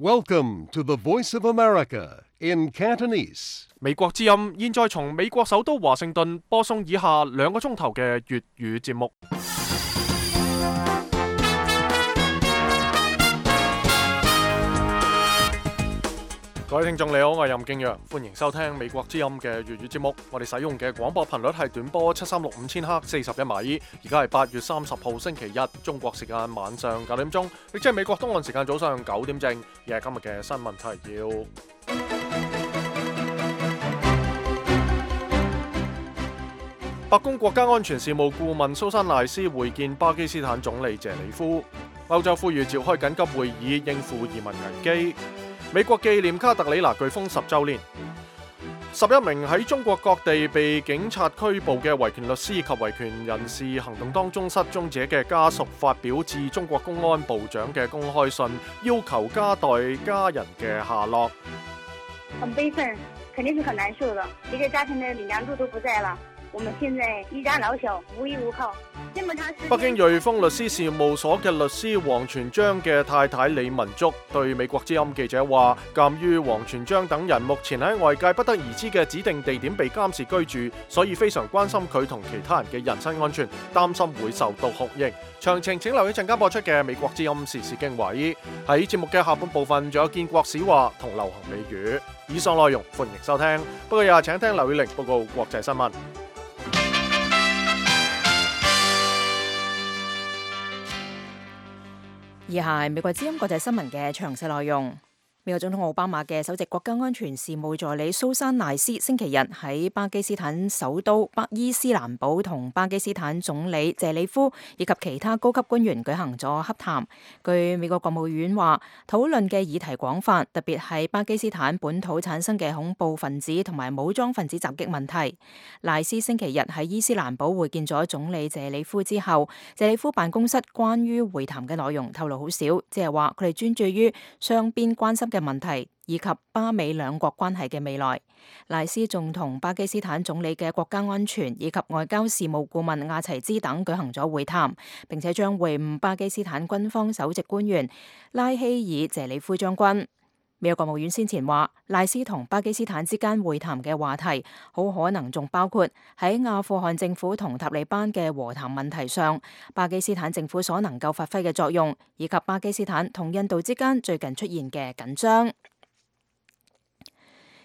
Welcome to the Voice of America in Cantonese. 美國之音現在從美國首都華盛頓播送以下2個鐘頭嘅粵語節目。各位聽眾你好，我係任敬陽，歡迎收聽美國之音嘅粵語節目。我哋使用嘅廣播頻率係短波7365000赫41米，而家係8月30號星期日，中國時間晚上9點鐘，亦即係美國東岸時間早上9點正。而係今日嘅新聞提要。白宮國家安全事務顧問蘇珊賴斯會見巴基斯坦總理謝里夫。歐洲呼籲召開緊急會議應付移民危機。美國紀念卡特里娜颶風10週年。11名喺中國各地被警察拘捕嘅維權律師及維權人士行動當中失蹤者嘅家屬發表致中國公安部長嘅公開信，要求交代家人嘅下落。很悲憤，肯定是很難受的。一個家庭的頂梁柱都不在了，我們現在一家老小無依無靠。北京瑞豐律師事務所嘅律師王全璋嘅太太李文竹對美國之音記者話，鑑於王全璋等人目前喺外界不得而知嘅指定地點被監視居住，所以非常關心佢同其他人嘅人身安全，擔心會受到酷刑。詳情請留意陣間播出嘅美國之音時事經緯。喺節目嘅下半部分仲有建國史話同流行美語。以上內容歡迎收聽，不過又請聽劉宇玲報告國際新聞。以下係美國之音國際新聞嘅詳細內容。美國總統奧巴馬嘅首席國家安全事務助理蘇珊賴斯星期日喺巴基斯坦首都伊斯蘭堡同巴基斯坦總理謝里夫以及其他高級官員舉行咗洽談。據美國國務院話，討論嘅議題廣泛，特別係巴基斯坦本土產生嘅恐怖分子同埋武裝分子襲擊問題。賴斯星期日喺伊斯蘭堡會見咗總理謝里夫之後，謝里夫辦公室關於會談嘅內容透露好少，即係話佢哋專注於雙邊關心嘅問題以及巴美兩國關係嘅未來。賴斯仲同巴基斯坦總理嘅國家安全以及外交事務顧問亞齊茲等舉行咗會談，並且將會晤巴基斯坦軍方首席官員拉希爾謝里夫將軍。美國國務院先前話，賴斯同巴基斯坦之間會談嘅話題好可能仲包括喺阿富汗政府同塔利班嘅和談問題上，巴基斯坦政府所能夠發揮嘅作用，以及巴基斯坦同印度之間最近出現嘅緊張。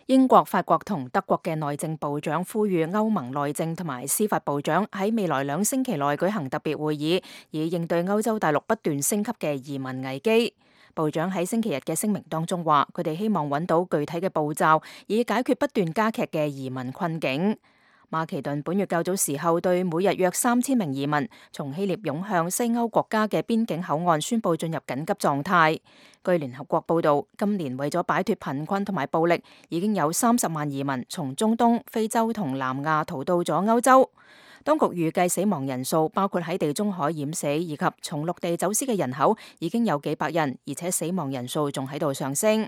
英國、法國同德國嘅內政部長呼籲歐盟內政同埋司法部長喺未來2星期內舉行特別會議，以應對歐洲大陸不斷升級嘅移民危機。部長喺星期日嘅聲明當中話，佢哋希望揾到具體嘅步驟，以解決不斷加劇嘅移民困境。馬其頓本月較早時候對每日約3000名移民從希臘湧向西歐國家嘅邊境口岸宣布進入緊急狀態。據聯合國報導，今年為咗擺脫貧困同埋暴力，已經有30萬移民從中東、非洲同南亞逃到咗歐洲。當局預計死亡人數包括喺地中海淹死以及從陸地走私嘅人口已經有幾百人，而且死亡人數仲喺度上升。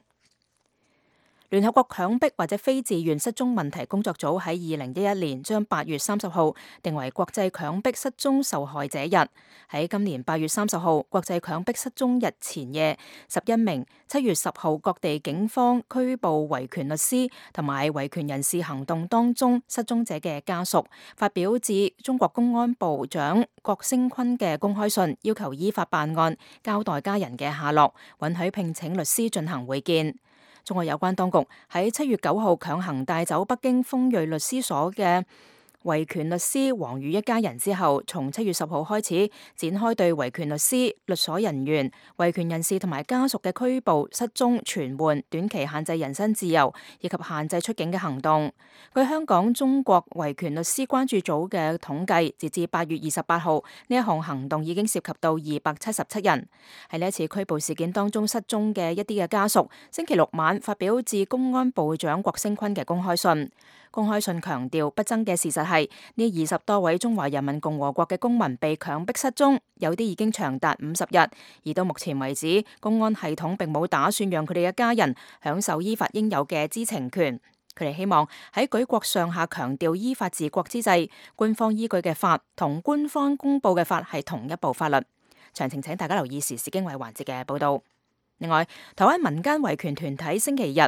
聯合國強迫或者非自願失蹤問題工作組喺2011年將8月30號定為國際強迫失蹤受害者日。喺今年8月30號國際強迫失蹤日前夜，11名7月10號各地警方拘捕維權律師同埋維權人士行動當中失蹤者嘅家屬，發表致中國公安部長郭聲琨嘅公開信，要求依法辦案，交代家人嘅下落，允許聘請律師進行會見。中國有關當局喺7月9號強行帶走北京鋒銳律師所嘅維權律師王宇一家人之後，從7月10號開始展開對維權律師、律所人員、維權人士同埋家屬嘅拘捕、失蹤、傳喚、短期限制人身自由以及限制出境嘅行動。據香港中國維權律師關注組嘅統計，截至8月28號，呢一項行動已經涉及到277人。喺呢一次拘捕事件當中失蹤嘅一啲嘅家屬，星期六晚發表致公安部長郭聲琨嘅公開信。公開信強調，不爭嘅事實係呢20多位中華人民共和國嘅公民被強迫失蹤，有啲已經長達50日，而到目前為止，公安系統並冇打算讓佢哋嘅家人享受依法應有嘅知情權。佢哋希望喺舉國上下強調依法治國之際，官方依據嘅法同官方公佈嘅法係同一部法律。詳情請大家留意時事經緯環節嘅報導。另外，台灣民間維權團體星期日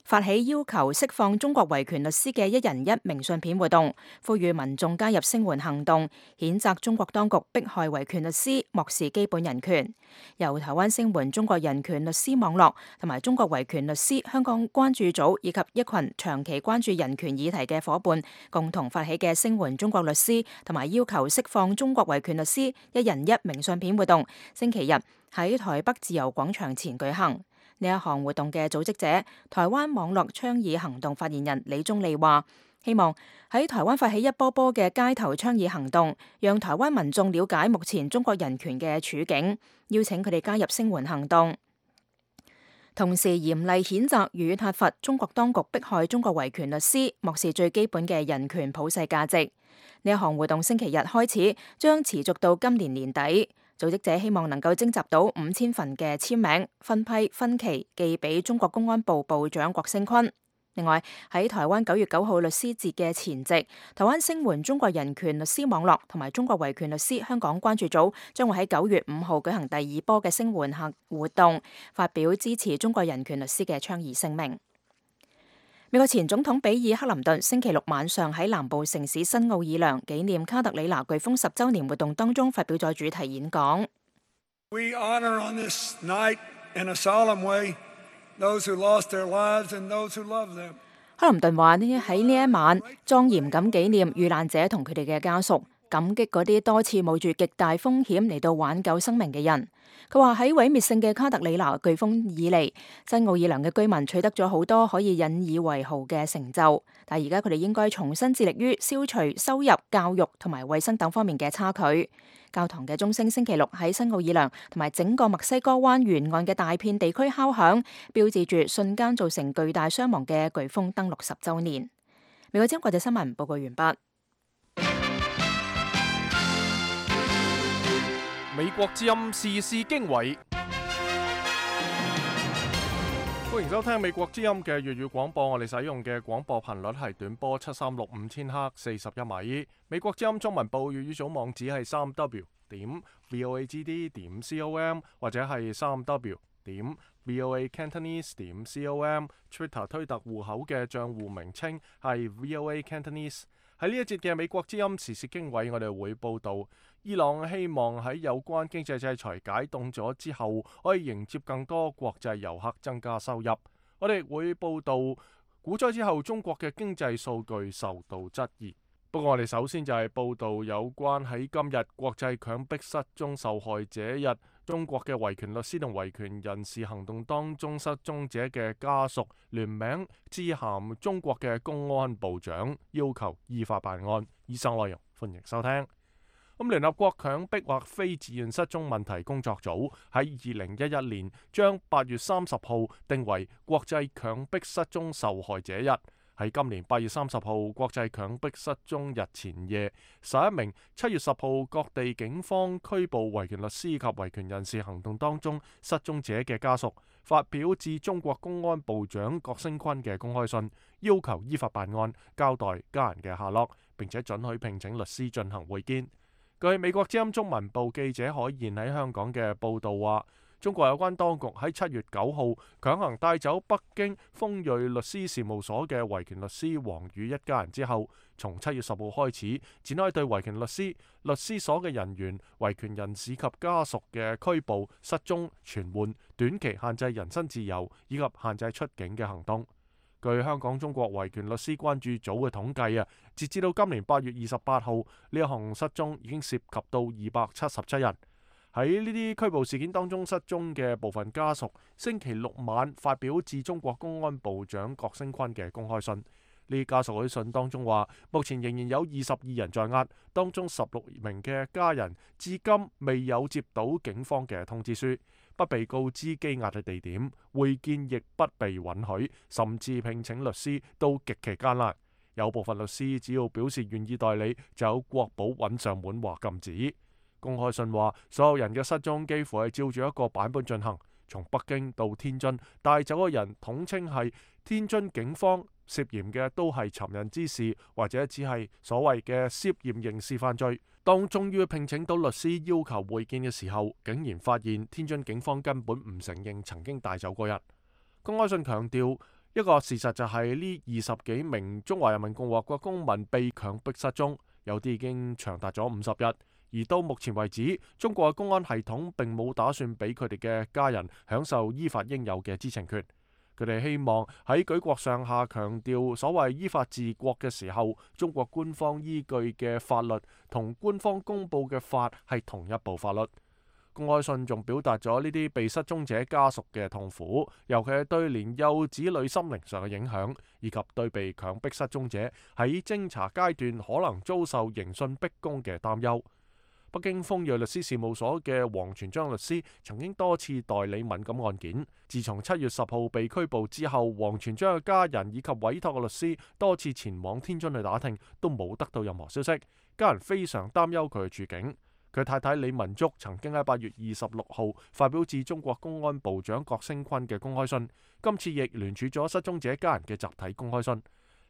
發起要求釋放中國維權律師嘅一人一明信片活動，呼籲民眾加入聲援行動，譴責中國當局迫害維權律師，漠視基本人權。由台灣聲援中國人權律師網絡同埋中國維權律師香港關注組以及一群長期關注人權議題嘅夥伴共同發起嘅聲援中國律師同埋要求釋放中國維權律師一人一明信片活動，星期日喺台北自由廣場前舉行。呢一項活動嘅組織者，台灣網絡倡議行動發言人李宗利話，希望喺台灣發起一波波嘅街頭倡議行動，讓台灣民眾了解目前中國人權嘅處境，邀請佢哋加入聲援行動，同時嚴厲譴責與撻伐中國當局迫害中國維權律師，漠視最基本嘅人權普世價值。呢一項活動星期日開始，將持續到今年年底。組織者希望能夠徵集到5000份嘅簽名，分期寄俾中國公安部部長郭聲琨。另外喺台灣9月9號律師節嘅前夕，台灣聲援中國人權律師網絡同埋中國維權律師香港關注組將會喺9月5號舉行第二波嘅聲援活動，發表支持中國人權律師嘅倡議聲明。美國前總統比爾克林頓星期六晚上喺南部城市新奧爾良紀念卡特里娜颶風10週年活動當中發表咗主題演講。We honor on this night in a solemn way those who lost their lives and those who love them. 克林頓話呢，喺呢一晚莊嚴咁紀念遇難者同佢哋嘅家屬，感激嗰啲多次冒住極大風險嚟到挽救生命嘅人。佢話喺毀滅性嘅卡特里娜颶風以嚟，新奧爾良嘅居民取得咗好多可以引以為豪嘅成就，但係而家佢哋應該重新致力於消除收入、教育同埋衛生等方面嘅差距。教堂嘅鐘聲星期六喺新奧爾良同埋整個墨西哥灣沿岸嘅大片地區敲響，標誌住瞬間造成巨大傷亡嘅颶風登陸10週年。美國之音國際新聞報告完畢。美國之音時事經緯，歡迎收聽美國之音嘅粵語廣播。我哋使用嘅廣播頻率係短波7365千赫41米。美國之音中文部粵語組網址係3w.voagd.com 或者係3w.voacantonese.com。Twitter 推特戶口嘅賬戶名稱係 VOA Cantonese。喺呢一節嘅美國之音時事經緯，我哋會報道伊朗希望喺有關經濟制裁解凍咗之後，可以迎接更多國際遊客，增加收入。我哋會報道股災之後中國嘅經濟數據受到質疑。不過我哋首先就係報道有關喺今日國際強迫失蹤受害者日，中國嘅維權律師同維權人士行動當中失蹤者嘅家屬聯名致函中國嘅公安部長，要求依法辦案。以上內容歡迎收聽。聯合國強迫或非自願失蹤問題工作組喺2011年將8月30號定為國際強迫失蹤受害者日。喺今年8月30號國際強迫失蹤日前夜，11名7月10號各地警方拘捕維權律師及維權人士行動當中失蹤者嘅家屬，發表致中國公安部長郭聲琨嘅公開信，要求依法辦案，交代家人嘅下落，並且准許聘請律師進行會見。據美國之音中文部記者海燕喺香港嘅報導話，中國有關當局喺7月9號強行帶走北京豐瑞律師事務所嘅維權律師王宇一家人之後，從7月10號開始展開對維權律師、律師所嘅人員、維權人士及家屬嘅拘捕、失蹤、傳喚、短期限制人身自由以及限制出境嘅行動。據香港中國維權律師關注組嘅統計截至到今年8月28號，呢一項失蹤已經涉及到277人。喺呢啲拘捕事件當中失蹤嘅部分家屬，星期六晚發表致中國公安部長郭聲琨嘅公開信。呢家屬喺信當中話，目前仍然有22人在押，當中16名嘅家人至今未有接到警方嘅通知書，不被告知羈押嘅地點，會見亦不被允許，甚至聘請律師都極其艱難。有部分律師只要表示願意代理，就有國保揾上門話禁止。公開信話，所有人嘅失蹤幾乎係照住一個版本進行，從北京到天津帶走嘅人統稱係天津警方，涉嫌嘅都係尋釁滋事，或者只係所謂嘅涉嫌刑事犯罪。當終於聘請到律師要求會見嘅時候，竟然發現天津警方根本唔承認曾經帶走過人。公開信強調，一個事實就係呢20幾名中華人民共和國公民被強迫失蹤，有啲已經長達咗50日。而到目前為止，中國嘅公安系統並冇打算俾佢哋嘅家人享受依法應有嘅知情權。佢哋希望喺舉國上下強調所謂依法治國嘅時候，中國官方依據嘅法律同官方公佈嘅法係同一部法律。公開信仲表達咗呢啲被失蹤者家屬嘅痛苦，尤其係對年幼子女心靈上嘅影響，以及對被強迫失蹤者喺偵查階段可能遭受刑訊逼供嘅擔憂。北京鋒銳律師事務所嘅王全璋律師曾經多次代理敏感案件。自從7月10號被拘捕之後，王全璋嘅家人以及委託嘅律師多次前往天津去打聽，都冇得到任何消息。家人非常擔憂佢嘅處境。佢太太李文竹曾經喺8月26號發表致中國公安部長郭聲琨嘅公開信，今次亦聯署咗失蹤者家人嘅集體公開信。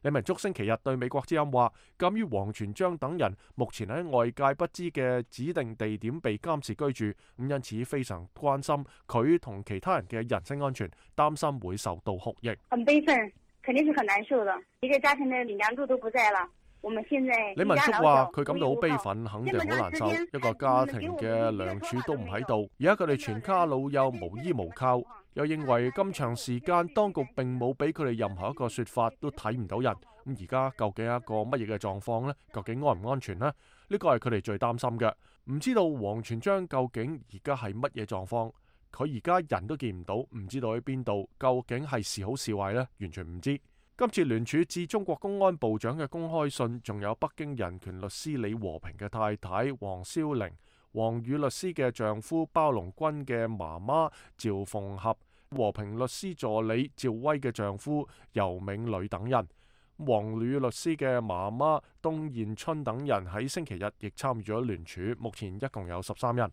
李文竹星期日對美國之音話，鑑於王全璋等人目前喺外界不知嘅指定地點被監視居住，因此非常關心佢同其他人嘅人身安全，擔心會受到酷刑。很悲憤，肯定是很難受的。一個家庭的頂梁柱都不在了。我們現在李文竹話佢感到好悲憤，肯定好難受。一個家庭嘅梁柱都唔喺度，而家佢哋全家老幼無依無靠。又認為咁長時間當局並冇俾佢哋任何一個說法，都睇唔到人。咁而家究竟係一個乜嘢嘅狀況呢？究竟安唔安全呢？呢個係佢哋最擔心嘅。唔知道王全璋究竟而家係乜嘢狀況？佢而家人都見唔到，唔知道喺邊度，究竟係是好是壞呢？完全唔知。今次聯署致中國公安部長嘅公開信，仲有北京人權律師李和平嘅太太王蕭玲、王宇律師嘅丈夫包龍軍嘅媽媽趙鳳合、和平律師助理趙威嘅丈夫尤銘磊等人，王宇律師嘅媽媽東彥春等人喺星期日亦參與咗聯署，目前一共有13人。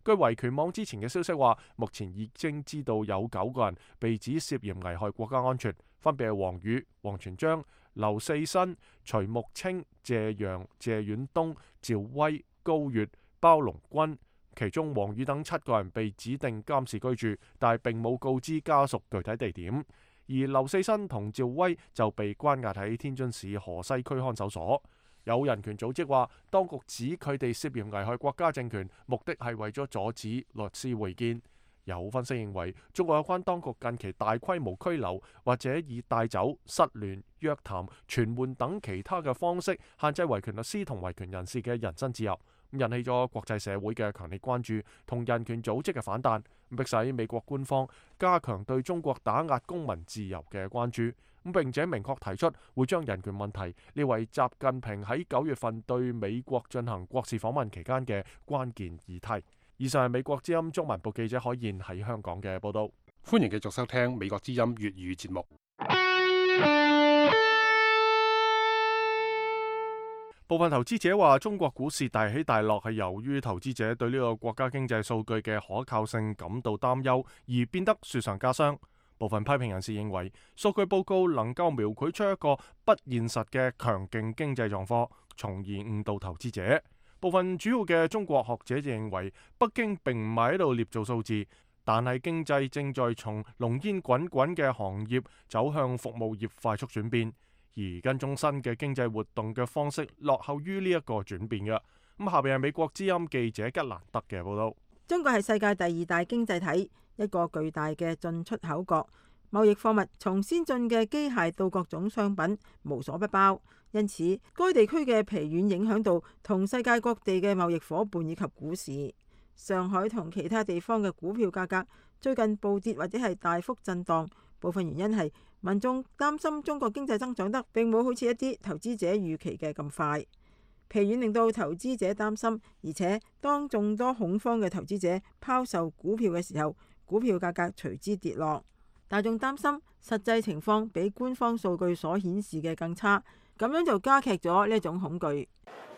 據維權網之前嘅消息話，目前已經知道有9個人被指涉嫌危害國家安全，分別係王宇、王全璋、劉四新、徐木清、謝陽、謝遠東、趙威、高月、包龍軍。其中王宇等7個人被指定監視居住，但係並冇告知家屬具體地點。而劉四新同趙威就被關押喺天津市河西區看守所。有人權組織話，當局指佢哋涉嫌危害國家政權，目的係為咗阻止律師會見。有分析認為，中國有關當局近期大規模拘留或者以帶走、失聯、約談、傳喚等其他嘅方式限制維權律師同維權人士嘅人身自由，引起咗國際社會嘅強烈關注同人權組織嘅反彈，迫使美國官方加強對中國打壓公民自由嘅關注，並且明確提出會將人權問題列為習近平喺9月份對美國進行國事訪問期間嘅關鍵議題。以上係美國之音中文部記者海燕喺香港嘅報道。歡迎繼續收聽美國之音粵語節目。部分投資者話，中國股市大起大落係由於投資者對呢個國家經濟數據嘅可靠性感到擔憂，而變得雪上加霜。部分批評人士認為，數據報告能夠描繪出一個不現實嘅強勁經濟狀況，從而誤導投資者。部分主要嘅中國學者就認為，北京並唔係喺度捏造數字，但係經濟正在從濃煙滾滾嘅行業走向服務業快速轉變，而跟蹤新嘅經濟活動嘅方式落後於呢一個轉變嘅。咁下邊係美國之音記者吉蘭德嘅報道。中國係世界第2大經濟體，一個巨大嘅進出口國，貿易貨物從先進嘅機械到各種商品無所不包。因此，該地區嘅疲軟影響到同世界各地嘅貿易夥伴以及股市。上海同其他地方嘅股票價格最近暴跌或者係大幅震盪，部分原因係民眾擔心中國經濟增長得並冇好似一啲投資者預期嘅咁快。疲軟令到投資者擔心，而且當眾多恐慌嘅投資者拋售股票嘅時候，股票價格隨之跌落。大眾擔心實際情況比官方數據所顯示嘅更差。咁樣就加劇咗呢一種恐懼。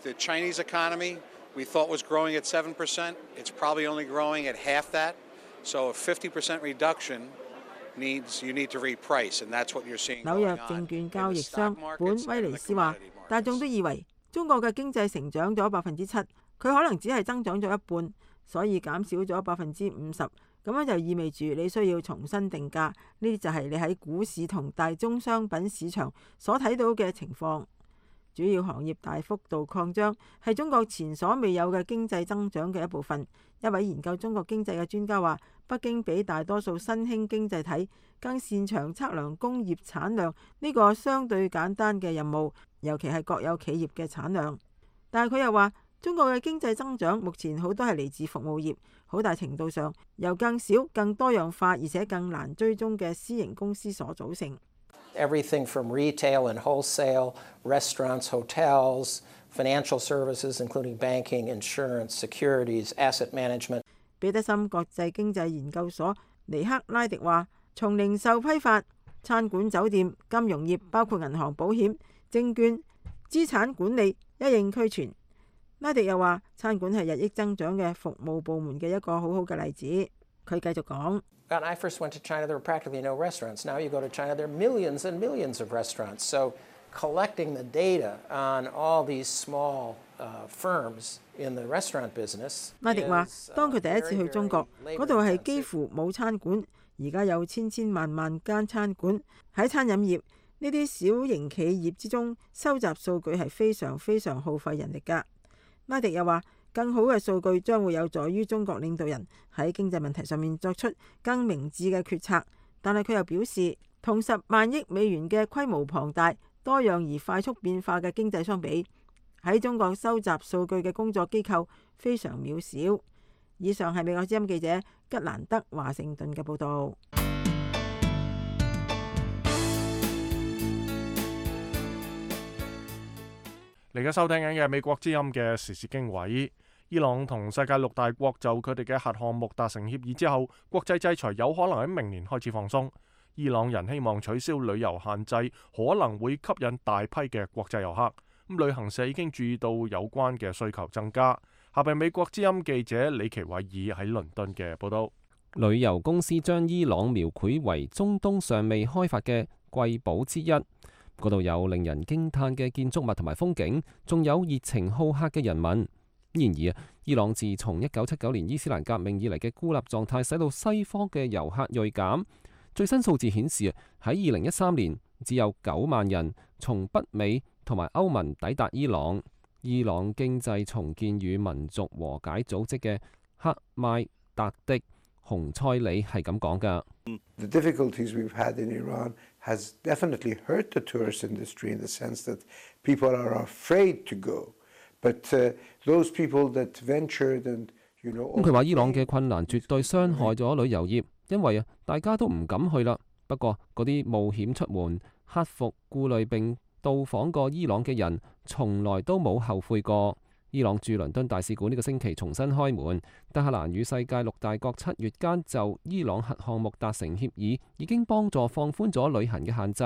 The Chinese economy we thought was growing at 7%. It's probably only growing at half that. So a 50% reduction means you need to reprice, and that's what you're seeing. 紐約證券交易商本威尼斯話，大眾都以為中國嘅經濟成長咗7%，佢可能只係增長咗一半，所以減少咗50%，咁樣就意味住你需要重新定價。呢啲就係你喺股市同大宗商品市場所睇到嘅情況。主要行業大幅度擴張係中國前所未有嘅經濟增長嘅一部分。一位研究中國經濟嘅專家話，北京比大多數新興經濟體更擅長測量工業產量呢個相對簡單嘅任務，尤其係國有企業嘅產量。但係佢又話，中國嘅經濟增長目前好多係嚟自服務業，好大程度上由更少、更多樣化而且更難追蹤嘅私營公司所組成。Everything from retail and wholesale, restaurants, hotels, financial services, including banking, insurance, securities, asset management. 彼得森國際經濟研究所尼克拉迪話，從零售批發、餐館、酒店、金融業，包括銀行、保險、證券、資產管理一應俱全。拉迪又話，餐館係日益增長嘅服務部門嘅一個好好嘅例子。佢繼續講。When I first went to China, there were practically no restaurants. Now you go to China, there are millions and millions of restaurants. So collecting the data on all these small firms in the restaurant business. 拉迪話，當佢第一次去中國，嗰度係幾乎冇餐館，而家有千萬間餐館。喺餐飲業呢啲小型企業之中，收集數據係非常耗費人力㗎。拉迪又話，更好嘅數據將會有助於中國領導人喺經濟問題上面作出更明智嘅決策。但係佢又表示，同10萬億美元嘅規模龐大、多樣而快速變化嘅經濟相比，喺中國收集數據嘅工作機構非常渺小。以上係美國之音記者吉蘭德華盛頓嘅報導。嚟緊收聽緊嘅美國之音嘅時事經緯，伊朗同世界6大國就佢哋嘅核項目達成協議之後，國際制裁有可能喺明年開始放鬆。伊朗人希望取消旅遊限制，可能會吸引大批嘅國際遊客。咁旅行社已經注意到有關嘅需求增加。下邊美國之音記者李奇偉爾喺倫敦嘅報道。旅遊公司將伊朗描繪為中東尚未開發嘅瑰寶之一。嗰度有令人驚嘆嘅建築物同埋風景，仲有熱情好客嘅人民。然而伊朗自從1979年伊斯蘭革命以嚟嘅孤立狀態，使到西方嘅遊客銳減。最新數字顯示，喺2013年只有9萬人從北美同埋歐盟抵達伊朗。伊朗經濟重建與民族和解組織嘅克邁達迪洪塞里係咁講㗎。The difficulties we've had in Iran has definitely hurt the tourist industry in the sense that people are afraid to go. But those people that ventured and佢話伊朗嘅困難絕對傷害咗旅遊業，因為大家都唔敢去啦。不過嗰啲冒險出門、克服顧慮並到訪過伊朗嘅人，從來都冇後悔過。伊朗駐倫敦大使館呢個星期重新開門。德黑蘭與世界6大國7月間就伊朗核項目達成協議，已經幫助放寬咗旅行嘅限制。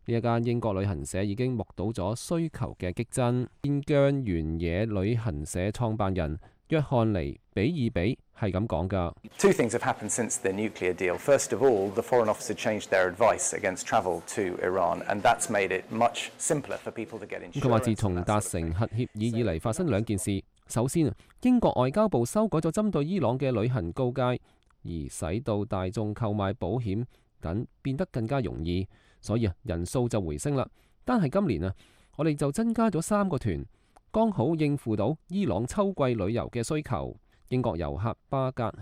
呢一間英國旅行社已經目睹咗需求嘅激增。邊疆原野旅行社創辦人約翰尼比爾比係咁講㗎。Two things have happened since the nuclear deal. First of all, the Foreign Office changed their advice against travel to Iran, and that's made it much simpler for people to get insurance. 佢話自從達成核協議以嚟，發生2件事。首先，英國外交部修改咗針對伊朗嘅旅行告誡，而使到大眾購買保險等變得更加容易，所以人數就回升啦。單係今年我哋就增加咗3個團，剛好應付到伊朗秋季旅遊嘅需求。英國遊客巴格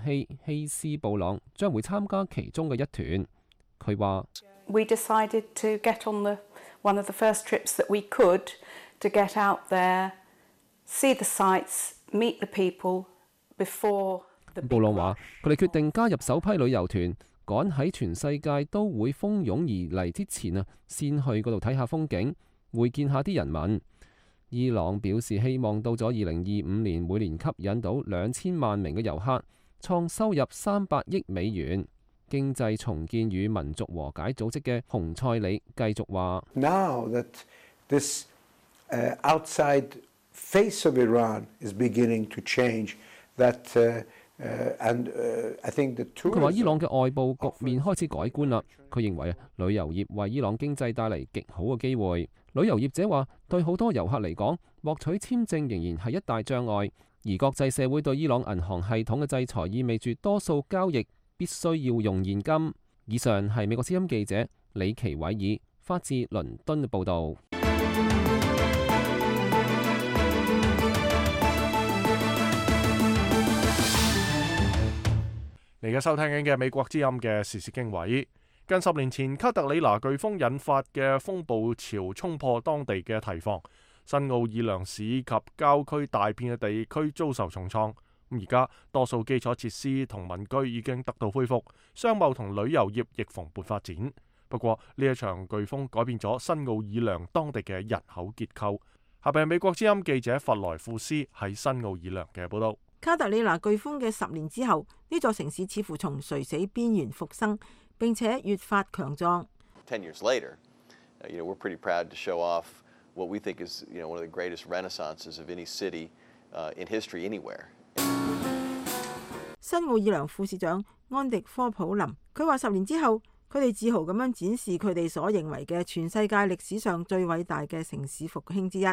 希斯布朗將會參加其中嘅一團。佢話 We decided to get on one of the first trips that we could to get out there, see the sights, meet the people before the big rush。布朗話佢哋決定加入首批旅遊團，趕喺全世界都會蜂擁而嚟之前先去嗰度睇下風景，會見下啲人民。伊朗表示希望到咗2025年，每年吸引到2000萬名嘅遊客，創收入300億美元。經濟重建與民族和解組織嘅洪塞里繼續話 ：Now that this outside face of Iran is beginning to change, that 佢話伊朗嘅外部局面開始改觀啦。佢認為旅遊業為伊朗經濟帶嚟極好嘅機會。旅遊業者話，對好多遊客嚟講，獲取簽證仍然係一大障礙。而國際社會對伊朗銀行系統嘅制裁意味住多數交易必須要用現金。以上係美國之音記者李奇偉爾發自倫敦嘅報導。你而家收聽緊嘅美國之音嘅時事經緯。近10年前卡特里娜颶風引發嘅風暴潮衝破當地嘅堤防，新奧爾良市及郊區大片嘅地區遭受重創。而家多數基礎設施同民居已經得到恢復，商貿同旅遊業亦蓬勃發展。不過呢一場颶風改變咗新奧爾良當地嘅人口結構。下邊係美國之音記者弗萊庫斯喺新奧爾良嘅報道。卡特里娜颶風嘅10年之後，呢座城市似乎從垂死邊緣復生，並且越發強壯。 10 years later, we're pretty proud to show off what we think is, one of the greatest renaissances of any city in history anywhere. 新奧爾良副市長安迪科普林，佢話10年之後，佢哋自豪咁樣展示佢哋所認為嘅全世界歷史上最偉大嘅城市復興之一。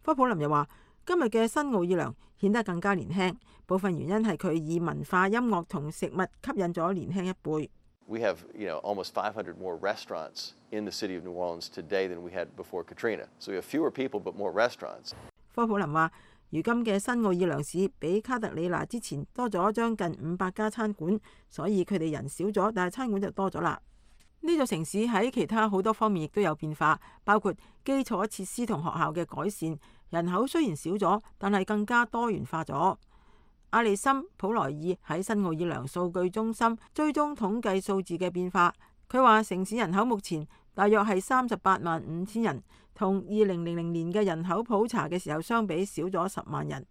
科普林又話，今日嘅新奧爾良顯得更加年輕，部分原因係佢以文化、音樂同食物吸引咗年輕一輩。We have, almost 500 more restaurants in the city of New Orleans today than we had before Katrina. So we have fewer people but more restaurants. 科普林話，如今嘅新奧爾良市比卡特里娜之前多咗將近500家餐館，所以佢哋人少咗，但係餐館就多咗啦。呢座城市喺其他好多方面亦都有變化，包括基礎設施同學校嘅改善。人口雖然少咗，但係更加多元化咗。阿里森普萊爾喺新奧爾良數據中心追蹤統計數字嘅變化。佢話城市人口目前大約係385000人，同2000年嘅人口普查嘅時候相比少咗10萬人。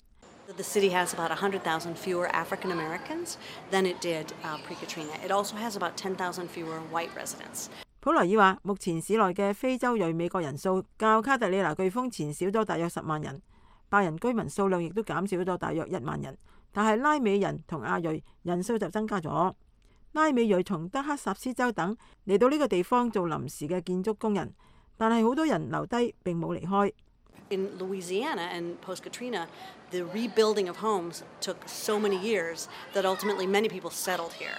The city has about 100,000 fewer African Americans than it did pre-Katrina. It also has about 10,000 fewer white residents. 普萊爾話，目前市內嘅非洲裔美國人數較卡特里娜颶風前少咗大約10萬人，白人居民數量亦都減少咗大約1萬人，但係拉美人同亞裔人數就增加咗。拉美裔從德克薩斯州等嚟到呢個地方做臨時嘅建築工人，但係好多人留低並冇離開。In Louisiana and post-Katrina, the rebuilding of homes took so many years that ultimately many people settled here.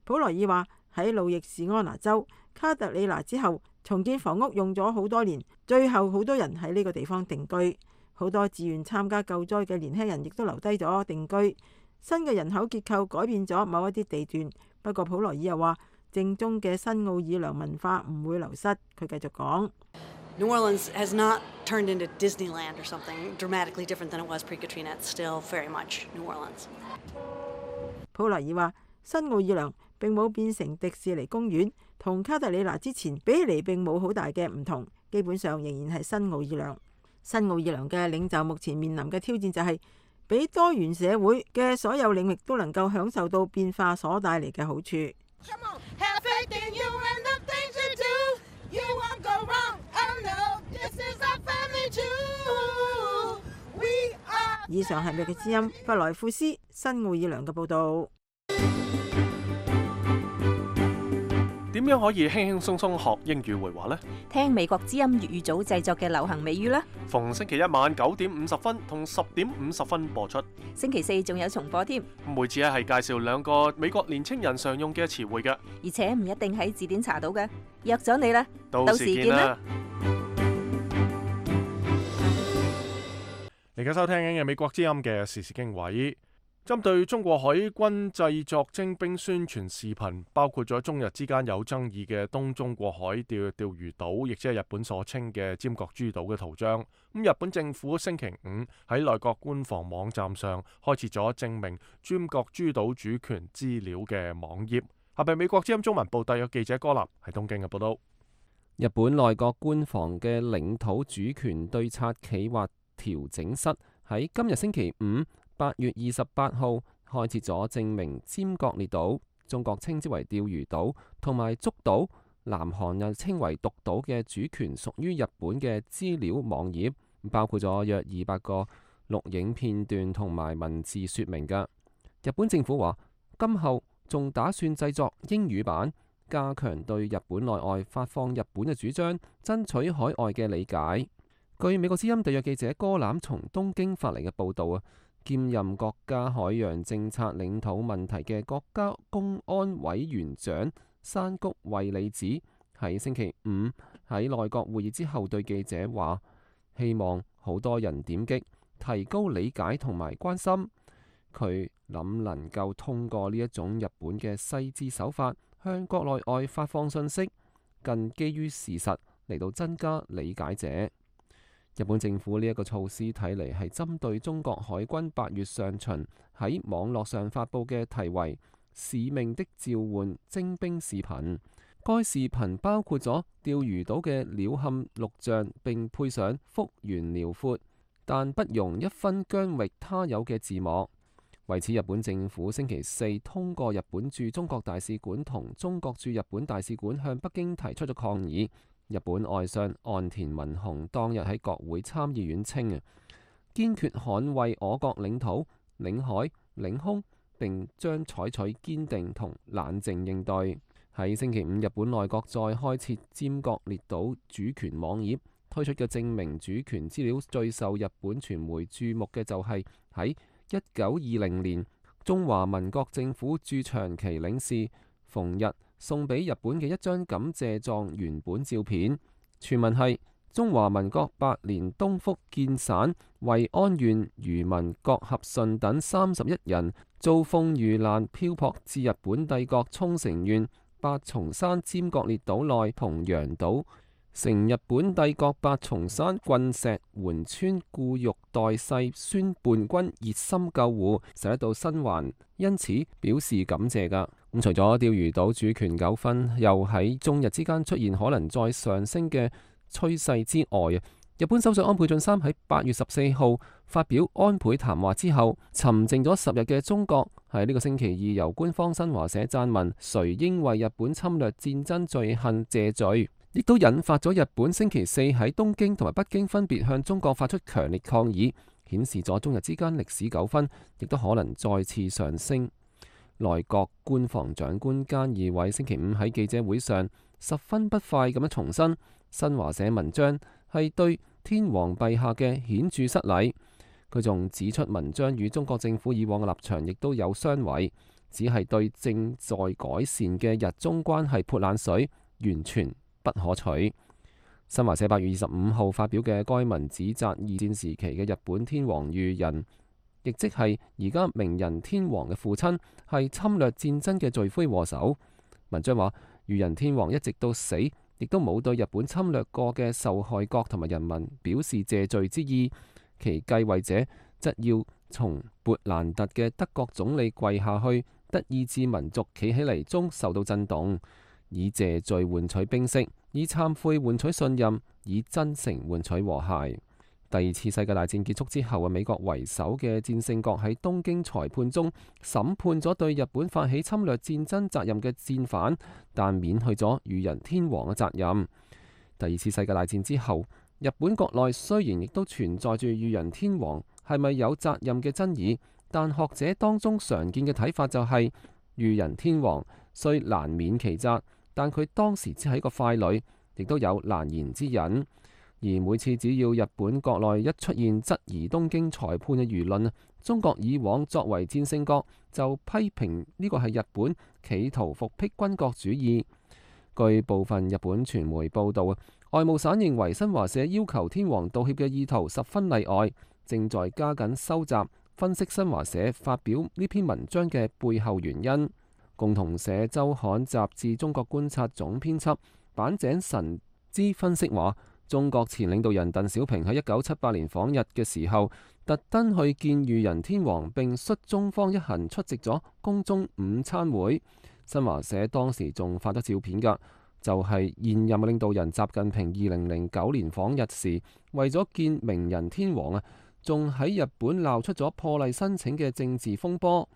普萊爾話，喺路易士安那州卡特里娜之後，重建房屋用咗好多年，最後好多人喺呢個地方定居。好多自願參加救災嘅年輕人亦都留低咗定居。新嘅人口結構改變咗某一啲地段，不過普萊爾又話，正宗嘅新奧爾良文化唔會流失。佢繼續講。New Orleans has not turned into Disneyland or something dramatically different than it was pre-Katrina. It's still very much New Orleans. 普萊爾話，新奧爾良並冇變成迪士尼公園，同卡特里娜之前比起嚟並冇好大嘅唔同，基本上仍然係新奧爾良。新奧爾良嘅領袖目前面臨嘅挑戰就係，俾多元社會嘅所有領域都能夠享受到變化所帶嚟嘅好處。以上係美國之音弗萊庫斯新奧爾良嘅報導。點樣可以輕輕鬆鬆學英語會話呢？聽美國之音粵語組製作嘅流行美語啦。逢星期一晚9點50分同10點50分播出。星期4仲有重播添。每次係介紹2個美國年青人常用嘅詞彙嘅，而且唔一定喺字典查到嘅。約咗你啦，到時見啦。你而家收聽緊嘅美國之音嘅時事經緯，針對中國海軍製作徵兵宣傳視頻，包括咗中日之間有爭議嘅東中國海釣魚島，亦即係日本所稱嘅尖閣諸島嘅圖章。日本政府星期5喺內閣官方網站上開設咗證明尖閣諸島主權資料嘅網頁。下邊美國之音中文部特約記者柯南喺東京嘅報道。日本內閣官房嘅領土主權對策企劃調整室喺今日星期5 8月28號開設咗證明尖閣列島，中國稱之為釣魚島，同埋竹島，南韓又稱為獨島嘅主權屬於日本嘅資料網頁，包括咗約200個錄影片段同埋文字說明嘅。日本政府話，今後仲打算製作英語版，加強對日本內外發放日本嘅主張，爭取海外嘅理解。據美國之音特約記者哥欖從東京發嚟嘅報導啊，兼任國家海洋政策領土問題嘅國家公安委員長山谷惠里子喺星期五喺內閣會議之後對記者話，希望好多人點擊，提高理解同埋關心。佢諗能夠通過呢一種日本嘅細緻手法，向國內外發放信息，更基於事實嚟到增加理解者。日本政府呢一個措施睇嚟係針對中國海軍8月上旬喺網絡上發布嘅題為《使命的召喚》徵兵視頻。該視頻包括咗釣魚島嘅鳥瞰錄像，並配上幅員遼闊但不容一分疆域他有嘅字幕。為此，日本政府星期四通過日本駐中國大使館同中國駐日本大使館向北京提出咗抗議。日本外相岸田文雄當日喺國會參議院稱啊，堅決捍衛我國領土、領海、領空，並將採取堅定同冷靜應對。喺星期五，日本內閣再開設尖閣列島主權網頁，推出嘅證明主權資料最受日本傳媒注目嘅就係喺1920年中華民國政府駐長期領事馮日送俾日本嘅一張感謝狀原本照片，全文係中華民國8年東福建省惠安縣漁民郭合順等31人遭風遇難漂泊至日本帝國沖繩縣八重山尖閣列島內同洋島，成日本帝國八重山郡石垣村固玉代世孫伴君熱心救護，使得到生還，因此表示感謝㗎。咁除咗釣魚島主權糾紛又喺中日之間出現可能再上升嘅趨勢之外，日本首相安倍晉三喺8月14號發表安倍談話之後，沉靜咗10日嘅中國喺呢個星期二由官方新華社撰文，誰應為日本侵略戰爭罪行謝罪，亦都引發咗日本星期四喺東京同埋北京分別向中國發出強烈抗議，顯示咗中日之間歷史糾紛亦都可能再次上升。內閣官房長官菅義偉星期五喺記者會上十分不快咁樣重申，新華社文章係對天皇陛下嘅顯著失禮。佢仲指出，文章與中國政府以往嘅立場亦都有相違，只係對正在改善嘅日中關係潑冷水，完全不可取。新華社8月25號發表嘅該文指責二戰時期嘅日本天皇裕仁，亦即係而家明仁天皇嘅父親，係侵略戰爭嘅罪魁禍首。文章話，裕仁天皇一直到死，亦都冇對日本侵略過嘅受害國同埋人民表示謝罪之意，其繼位者則要從勃蘭特嘅德國總理跪下去，德意志民族企起嚟中受到震動，以謝罪換取冰釋，以懺悔換取信任，以真誠換取和諧。第二次世界大戰結束之後，美國為首嘅戰勝國喺東京裁判中審判咗對日本發起侵略戰爭責任嘅戰犯，但免去咗裕仁天皇嘅責任。第二次世界大戰之後，日本國內雖然亦都存在住裕仁天皇係咪有責任嘅爭議，但學者當中常見嘅睇法就係裕仁天皇雖難免其責，但佢當時只係一個傀儡，亦都有難言之隱。而每次只要日本國內一出現質疑東京裁判嘅輿論，中國以往作為戰勝國就批評呢個係日本企圖復辟軍國主義。據部分日本傳媒報道，外務省認為新華社要求天皇道歉嘅意圖十分例外，正在加緊收集分析新華社發表呢篇文章嘅背後原因。共同社週刊雜誌中國觀察總編輯坂井神之分析話，中國前領導人鄧小平喺1978年訪日嘅時候，特登去見裕仁天皇，並率中方一行出席咗宮中午餐會。新華社當時仲發咗照片㗎，就係現任領導人習近平2009年訪日時，為咗見明仁天皇仲喺日本鬧出咗破例申請嘅政治風波。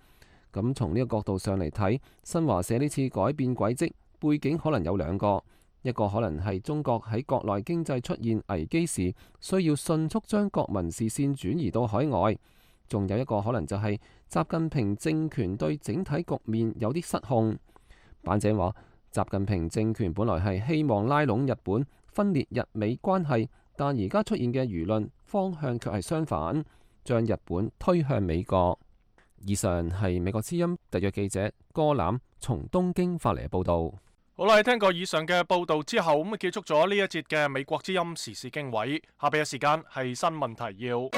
咁從呢個角度上嚟睇，新華社呢次改變軌跡背景可能有兩個。一個可能係中國喺國內經濟出現危機時，需要迅速將國民視線轉移到海外；仲有一個可能就係習近平政權對整體局面有啲失控。板井話，習近平政權本來係希望拉攏日本，分裂日美關係，但而家出現嘅輿論方向卻係相反，將日本推向美國。以上係美國之音特約記者柯攬從東京發嚟嘅報導。好啦，聽過以上嘅報導之後，咁結束咗呢一節嘅美國之音時事經緯。下邊嘅時間係新聞提要。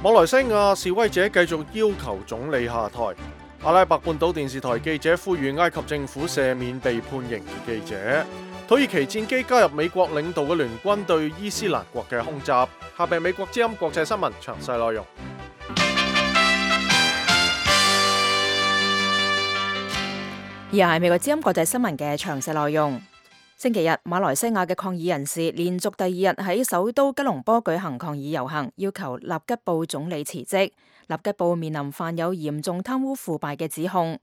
馬來西亞示威者繼續要求總理下台。阿拉伯半島電視台記者呼籲埃及政府赦免被判刑嘅記者。土耳其戰機加入美國領導嘅聯軍對伊斯蘭國嘅空襲。下邊美國之音國際新聞詳細內容。以下係美國之音國際新聞嘅詳細內容。星期日，馬來西亞嘅抗議人士連續第二日喺首都吉隆坡舉行抗議遊行，要求納吉布總理辭職。納吉布面臨犯有嚴重貪污腐敗嘅指控。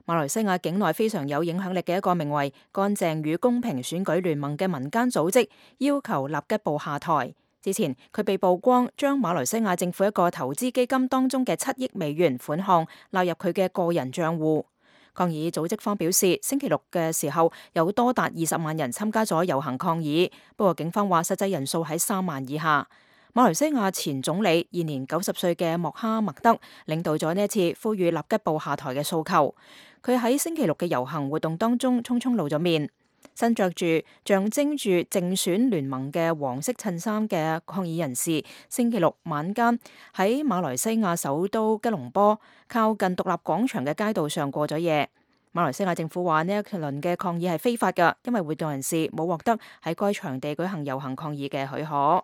馬來西亞境內非常有影響力嘅一個名為乾淨與公平選舉聯盟嘅民間組織要求納吉布下台。之前佢被曝光將馬來西亞政府一個投資基金當中嘅7億美元款項納入佢嘅個人賬戶。抗議組織方表示，星期六嘅時候有多達20萬人參加咗遊行抗議，不過警方話實際人數喺3萬以下。馬來西亞前總理現年90歲嘅莫哈默德領導咗呢一次呼籲納吉布下台嘅訴求。佢喺星期六嘅遊行活動當中匆匆露咗面，身着住象徵住競選聯盟嘅黃色襯衫嘅抗議人士，星期六晚間喺馬來西亞首都吉隆坡靠近獨立廣場嘅街道上過咗夜。馬來西亞政府話呢一輪嘅抗議係非法㗎，因為活動人士冇獲得喺該場地舉行遊行抗議嘅許可。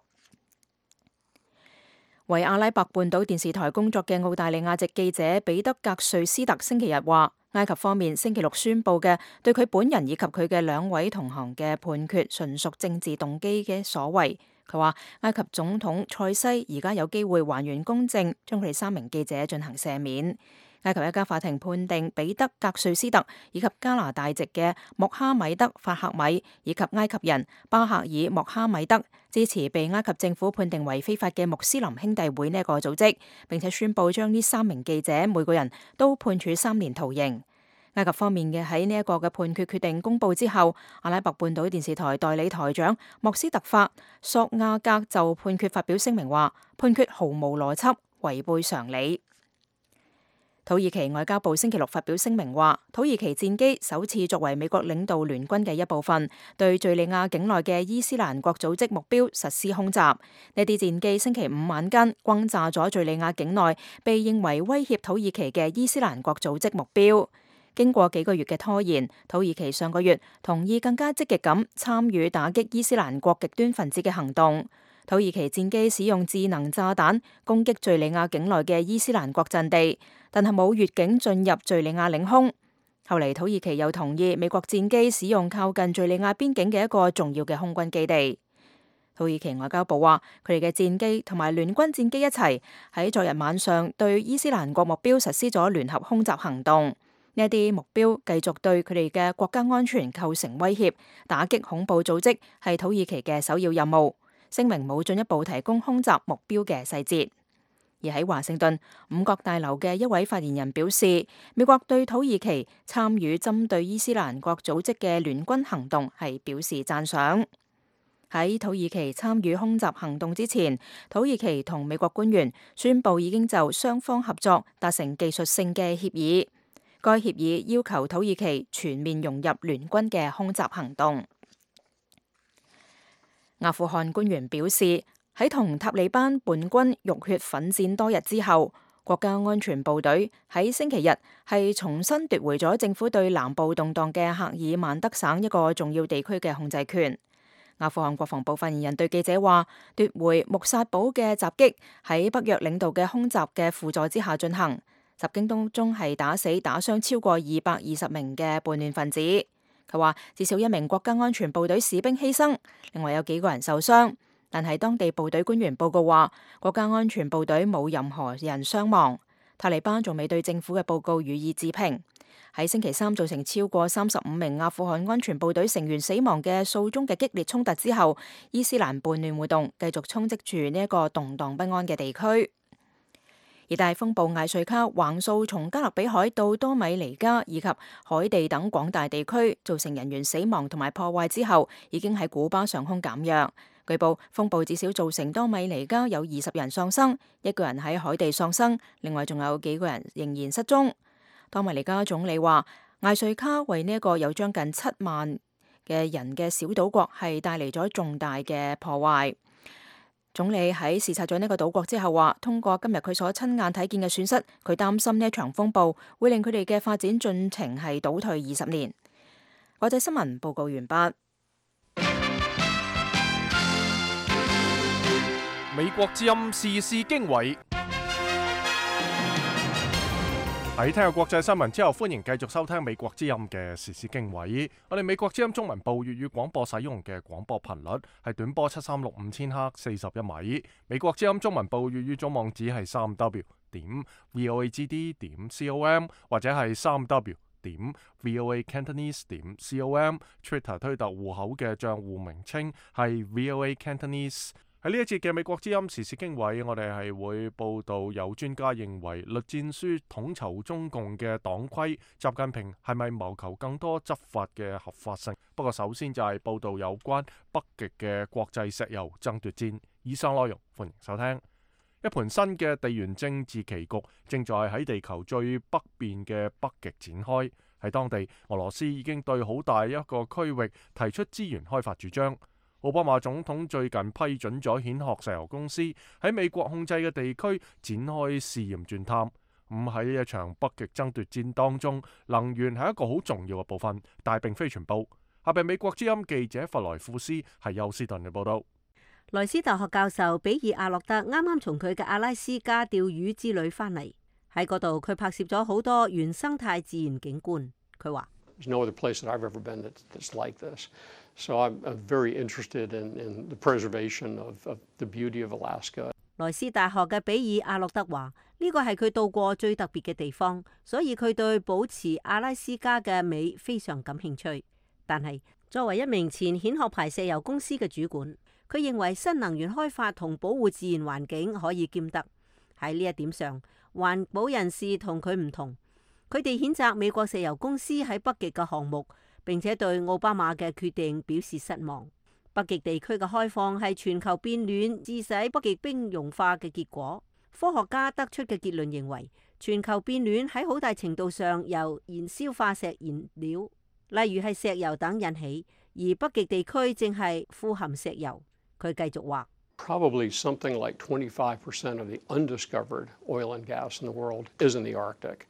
為阿拉伯半島電視台工作嘅澳大利亞籍記者彼得格瑞斯特星期日話，埃及方面星期六宣佈嘅對佢本人以及佢嘅2位同行嘅判決純屬政治動機嘅所為。佢話埃及總統塞西而家有機會還原公正，將佢哋3名記者進行赦免。埃及一家法庭判定彼得格瑞斯特以及加拿大籍嘅穆哈米德法克米以及埃及人巴克爾穆哈米德支持被埃及政府判定為非法嘅穆斯林兄弟會呢一個組織，並且宣布將呢3名記者每個人都判處3年徒刑。埃及方面嘅喺呢一個嘅判決決定公佈之後，阿拉伯半島電視台代理台長莫斯特法索亞格就判決發表聲明話，判決毫無邏輯，違背常理。土耳其外交部星期六發表聲明話，土耳其戰機首次作為美國領導聯軍嘅一部分，對敘利亞境內嘅伊斯蘭國組織目標實施空襲。呢啲戰機星期五晚間轟炸咗敘利亞境內被認為威脅土耳其嘅伊斯蘭國組織目標。經過幾個月嘅拖延，土耳其上個月同意更加積極咁參與打擊伊斯蘭國極端分子嘅行動。土耳其戰機使用智能炸彈攻擊敘利亞境內嘅伊斯蘭國陣地，但係冇越境進入敘利亞領空。後嚟土耳其又同意美國戰機使用靠近敘利亞邊境嘅一個重要嘅空軍基地。土耳其外交部話，佢哋嘅戰機同埋聯軍戰機一齊喺昨日晚上對伊斯蘭國目標實施咗聯合空襲行動。呢一啲目標繼續對佢哋嘅國家安全構成威脅，打擊恐怖組織係土耳其嘅首要任務。聲明冇進一步提供空襲目標嘅細節。而喺華盛頓五角大樓嘅一位發言人表示，美國對土耳其參與針對伊斯蘭國組織嘅聯軍行動係表示讚賞。喺土耳其參與空襲行動之前，土耳其同美國官員宣布已經就雙方合作達成技術性嘅協議。該協議要求土耳其全面融入聯軍嘅空襲行動。阿富汗官員表示，喺同塔利班叛軍浴血奮戰多日之後，國家安全部隊喺星期日係重新奪回咗政府對南部動盪嘅赫爾曼德省一個重要地區嘅控制權。阿富汗國防部發言人對記者話，奪回穆薩堡嘅襲擊喺北約領導嘅空襲嘅輔助之下進行，襲擊當中係打死打傷超過220名嘅叛亂分子。佢話至少1名國家安全部隊士兵犧牲，另外有幾個人受傷，但係當地部隊官員報告話，國家安全部隊冇任何人傷亡。塔利班仲未對政府嘅報告予以置評。喺星期三造成超過35名阿富汗安全部隊成員死亡嘅數宗嘅激烈衝突之後，伊斯蘭叛亂活動繼續衝擊住呢一個動盪不安嘅地區。熱帶風暴艾瑞卡橫掃從加勒比海到多米尼加以及海地等廣大地區，造成人員死亡同埋破壞之後，已經喺古巴上空減弱。據報，風暴至少造成多米尼加有20人喪生，1個人喺海地喪生，另外仲有幾個人仍然失蹤。多米尼加總理話，艾瑞卡為呢一個有將近7萬嘅人嘅小島國係帶嚟咗重大嘅破壞。總理喺視察咗呢個島國之後話，通過今日佢所親眼睇見嘅損失，佢擔心呢一場風暴會令佢哋嘅發展進程係倒退20年。國際新聞報告完畢。美國之音時事經緯。喺聽下國際新聞之後，歡迎繼續收聽美國之音嘅時事經緯。我哋美國之音中文部粵語廣播使用嘅廣播頻率係短波736 5000赫41米。美國之音中文部粵語總網址係3w.voagd.com 或者係3w.voacantonese.com。Twitter 推特戶口嘅賬戶名稱係 voacantonese。喺呢一節嘅美國之音時事經緯，我哋係會報道有專家認為栗戰書統籌中共嘅黨規，習近平係咪謀求更多執法嘅合法性？不過首先就係報道有關北極嘅國際石油爭奪戰。以上內容歡迎收聽。一盤新嘅地緣政治棋局正在喺地球最北邊嘅北極展開。喺當地，俄羅斯已經對好大一個區域提出資源開發主張。奧巴馬總統最近批准咗蜆殼石油公司喺美國控制嘅地區展開試驗鑽探。喺一場北極爭奪戰當中，能源係一個好重要嘅部分，但係並非全部。下邊美國之音記者弗萊庫斯係休斯頓嘅報道。萊斯大學教授比爾阿諾特啱啱從佢嘅阿拉斯加釣魚之旅翻嚟，喺嗰度佢拍攝咗好多原生態自然景觀。佢話：There's no other place that I've ever been that's like this. So I'm very interested in the preservation of the beauty of Alaska. 萊斯大學嘅比爾阿諾德話：呢個係佢到過最特別嘅地方，所以佢對保持阿拉斯加嘅美非常感興趣。但係作為一名前蜆殼牌石油公司嘅主管，佢認為新能源開發同保護自然環境可以兼得。喺呢一點上，環保人士同佢唔同，佢哋譴責美國石油公司喺北極嘅項目，並且對奧巴馬嘅決定表示失望。北極地區嘅開放係全球變暖致使北極冰融化嘅結果。科學家得出嘅結論認為，全球變暖喺好大程度上由燃燒化石燃料，例如係石油等引起，而北極地區正係富含石油。佢繼續話：Probably something like 25% of the undiscovered oil and gas in the world is in the Arctic.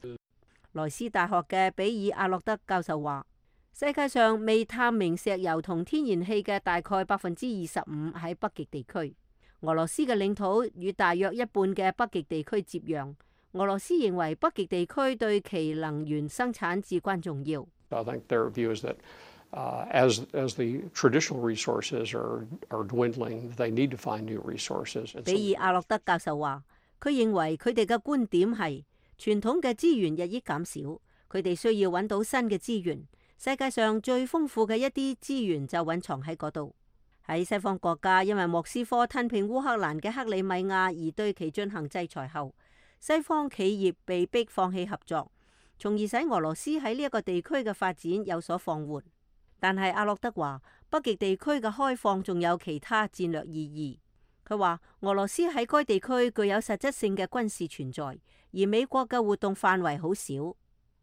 萊斯大學嘅比爾阿諾德教授話：世界上未探明石油同天然氣嘅大概25%喺北極地區。俄羅斯嘅領土與大約一半嘅北極地區接壤。俄羅斯認為北極地區對其能源生產至關重要。I think their view is that as the traditional resources are dwindling, they need to find new resources. 比爾阿諾德教授話：佢認為佢哋嘅觀點係傳統嘅資源日益減少，佢哋需要揾到新嘅資源。世界上最豐富嘅一啲資源就蘊藏喺嗰度。喺西方國家因為莫斯科吞併烏克蘭嘅克里米亞而對其進行制裁後，西方企業被迫放棄合作，從而使俄羅斯喺呢一個地區嘅發展有所放緩。但係阿諾德話，北極地區嘅開放仲有其他戰略意義。佢話俄羅斯喺該地區具有實質性嘅軍事存在，而美國嘅活動範圍好少。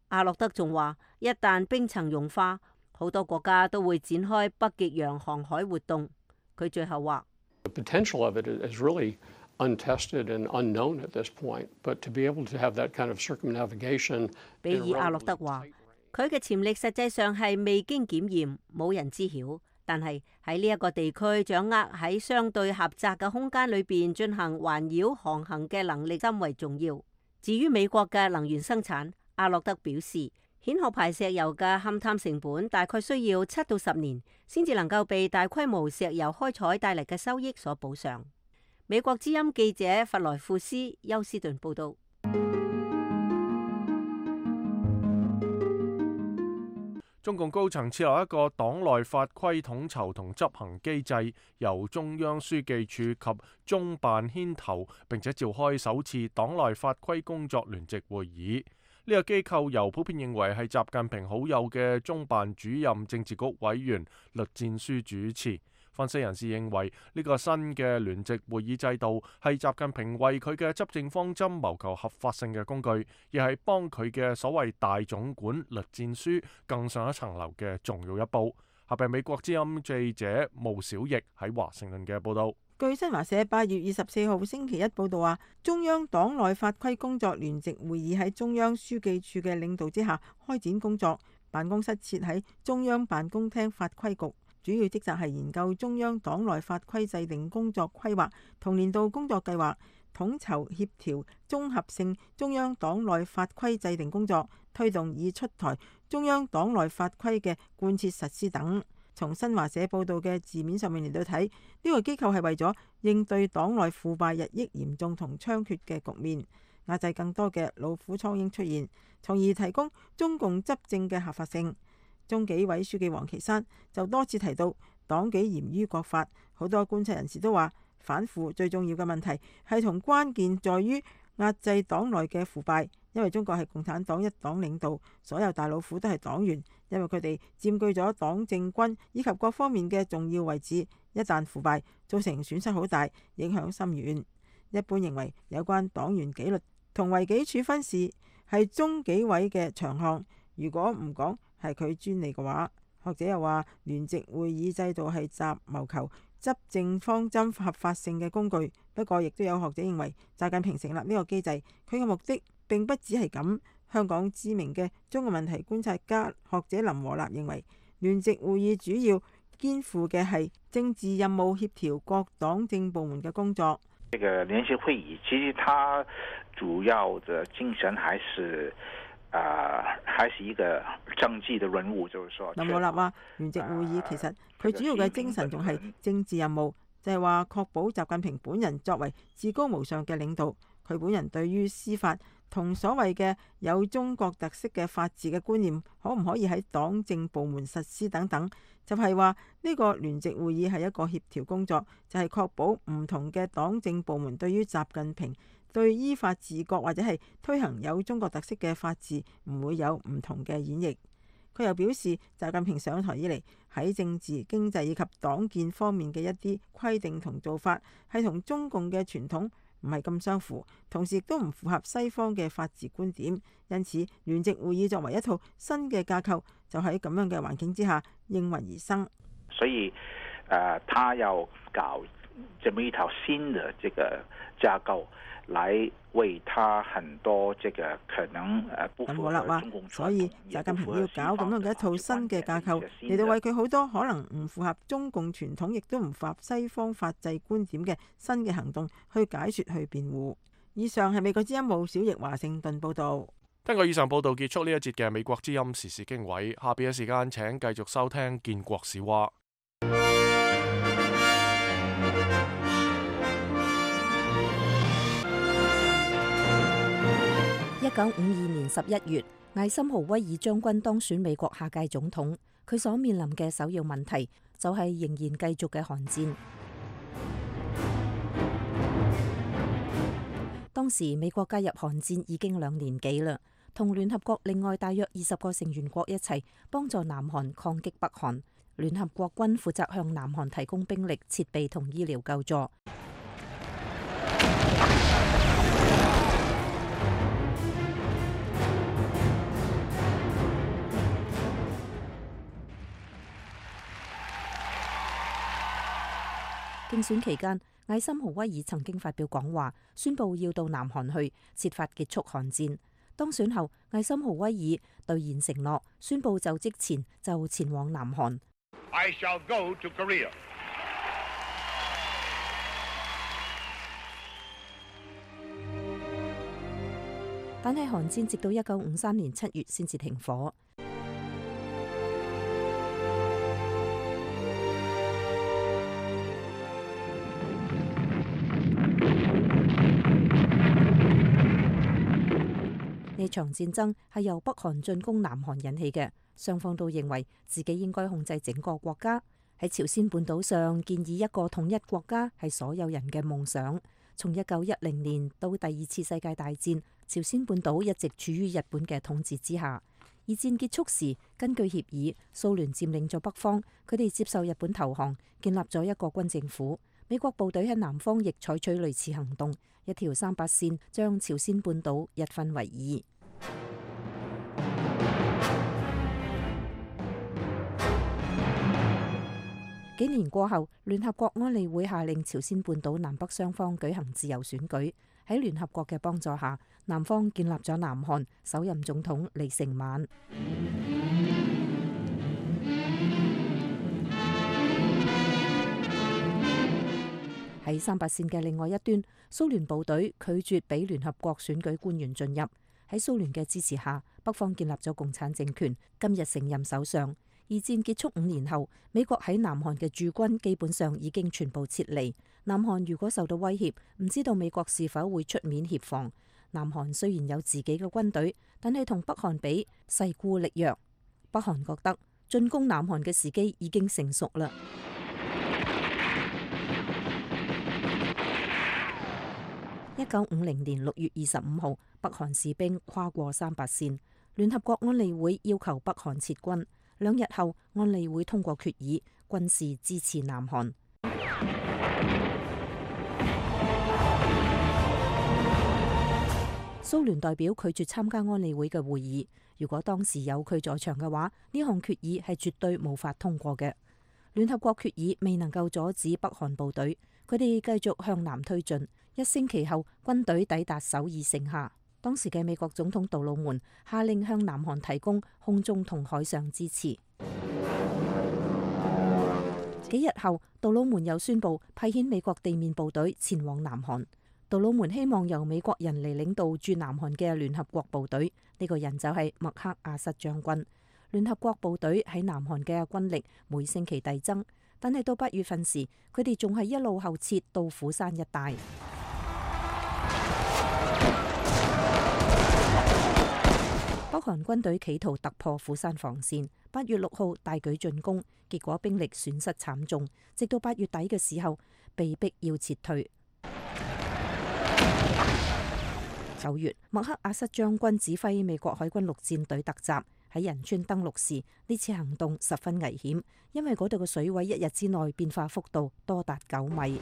阿諾德仲話，一旦冰層融化，好多國家都會展開北極洋航海活動。佢最後話：The potential of it is really untested and unknown at this point, but to be able to have that kind of circumnavigation。比爾阿諾德話：佢嘅潛力實際上係未經檢驗，冇人知曉。但係喺呢一個地區掌握喺相對狹窄嘅空間裏邊進行環繞航行嘅能力甚為重要。至於美國嘅能源生產，阿諾德表示，蜆殼牌石油嘅勘探成本大概需要7到10年，先至能夠被大規模石油開採帶嚟嘅收益所補上。美國之音記者弗萊庫斯休斯頓報道。中共高層設立一個黨內法規統籌同執行機制，由中央書記處及中辦牽頭，並且召開首次黨內法規工作聯席會議。呢個機構由普遍認為係習近平好友嘅中辦主任政治局委員栗戰書主持。分析人士認為，呢個新嘅聯席會議制度係習近平為佢嘅執政方針謀求合法性嘅工具，亦係幫佢嘅所謂大總管栗戰書更上一層樓嘅重要一步。下邊美國之音記者毛小翼喺華盛頓嘅報導。據新華社8月24號星期一報導話，中央黨內法規工作聯席會議喺中央書記處嘅領導之下開展工作，辦公室設喺中央辦公廳法規局。主要職責係研究中央黨內法規制定工作規劃同年度工作計劃，統籌協調綜合性中央黨內法規制定工作，推動以出台中央黨內法規嘅貫徹實施等。從新華社報導嘅字面上面嚟到睇，呢個機構係為咗應對黨內腐敗日益嚴重同猖獗嘅局面，壓制更多嘅老虎蒼蠅出現，從而提供中共執政嘅合法性。中紀委書記王岐山就多次提到黨紀嚴於國法，好多觀察人士都話反腐最重要嘅問題係同關鍵在於壓制黨內嘅腐敗，因為中國係共產黨一黨領導，所有大老虎都係黨員，因為佢哋佔據咗黨政軍以及各方面嘅重要位置，一旦腐敗造成損失好大，影響深遠。一般認為有關黨員紀律同違紀處分事係中紀委嘅長項，如果唔講係佢專利嘅話，學者又話聯席會議制度係習謀求執政方針合法性嘅工具。不過亦都有學者認為，習近平成立呢個機制，佢嘅目的並不只係咁。香港知名嘅中國問題觀察家學者林和立認為，聯席會議主要肩負嘅係政治任務，協調各黨政部門嘅工作。這個聯席會議其實它主要的精神還是一個政治的任務，就是說。林和立話，聯席會議其實佢主要嘅精神仲係政治任務，就係話確保習近平本人作為至高無上嘅領導，佢本人對於司法同所謂嘅有中國特色嘅法治嘅觀念，可唔可以喺黨政部門實施等等，就係話呢個聯席會議係一個協調工作，就係確保唔同嘅黨政部門對於習近平對依法治國或者係推行有中國特色嘅法治唔會有唔同嘅演繹。佢又表示，習近平上台以嚟喺政治、經濟以及黨建方面嘅一啲規定同做法係同中共嘅傳統唔係咁相符，同時亦都唔符合西方嘅法治觀點。因此，聯席會議作為一套新嘅架構，就喺咁樣嘅環境之下應運而生。所以，他要搞這麼一套新的這個架構，來為他很多這個可能不符合中共傳統，所以習近平要搞咁樣嘅一套新嘅架構，嚟到為佢好多可能唔符合中共傳統，亦都唔符合西方法制觀點嘅新嘅行動去解說、去辯護。以上係美國之音毛小翼華盛頓報道。聽過以上報道，結束呢一節嘅美國之音時事經緯。下邊嘅時間，請繼續收聽建國史話。1952年11月，艾森豪威爾將軍當選美國下屆總統，佢所面臨嘅首要問題就係仍然繼續嘅韓戰。當時美國加入韓戰已經2年幾啦，同聯合國另外大約20個成員國一齊幫助南韓抗擊北韓。聯合國軍負責向南韓提供兵力、設備同醫療救助。競選期間，艾森豪威爾曾經發表講話，宣布要到南韓去設法結束韓戰。當選後，艾森豪威爾兌現承諾，宣布就職前就前往南韓。I shall go to Korea. 但係韓戰直到1953年7月先至停火。呢場戰爭係由北韓進攻南韓引起嘅。雙方都認為自己應該控制整個國家。喺朝鮮半島上建議一個統一國家係所有人嘅夢想。從1910年到第二次世界大戰，朝鮮半島一直處於日本嘅統治之下。二戰結束時，根據協議，蘇聯佔領咗北方，佢哋接受日本投降，建立咗一個軍政府。美國部隊喺南方亦採取類似行動，一條3八線將朝鮮半島一分為二。幾年過後，聯合國安理會下令朝鮮半島南北雙方舉行自由選舉。喺聯合國嘅幫助下，南方建立咗南韓，首任總統李承晚。喺3八線嘅另外一端，蘇聯部隊拒絕俾聯合國選舉官員進入。喺蘇聯嘅支持下，北方建立咗共產政權，今日承任首相。二戰結束5年後，美國喺南韓嘅駐軍基本上已經全部撤離。南韓如果受到威脅，唔知道美國是否會出面協防。南韓雖然有自己嘅軍隊，但係同北韓比勢孤力弱。北韓覺得進攻南韓嘅時機已經成熟啦。1950年6月25號，北韓士兵跨過3八線，聯合國安理會要求北韓撤軍。2日後，安理會通過決議，軍事支持南韓。蘇聯代表拒絕參加安理會嘅會議。如果當時有佢在場嘅話，呢項決議係絕對無法通過嘅。聯合國決議未能夠阻止北韓部隊，佢哋繼續向南推進。1星期後，軍隊抵達首爾城下。當時嘅美國總統杜魯門下令向南韓提供空中同海上支持。幾日後，杜魯門又宣布派遣美國地面部隊前往南韓。杜魯門希望由美國人嚟領導駐南韓嘅聯合國部隊，呢個人就係麥克阿瑟將軍。聯合國部隊喺南韓嘅軍力每星期遞增，但係到8月份時，佢哋仲係一路後撤到釜山一帶。北韓軍隊企圖突破釜山防線，8月6號大舉進攻，結果兵力損失慘重，直到8月底嘅時候被逼要撤退。9月，麥克阿瑟將軍指揮美國海軍陸戰隊突襲，喺仁川登陸時，呢次行動十分危險，因為嗰度嘅水位1日之內變化幅度多達9米。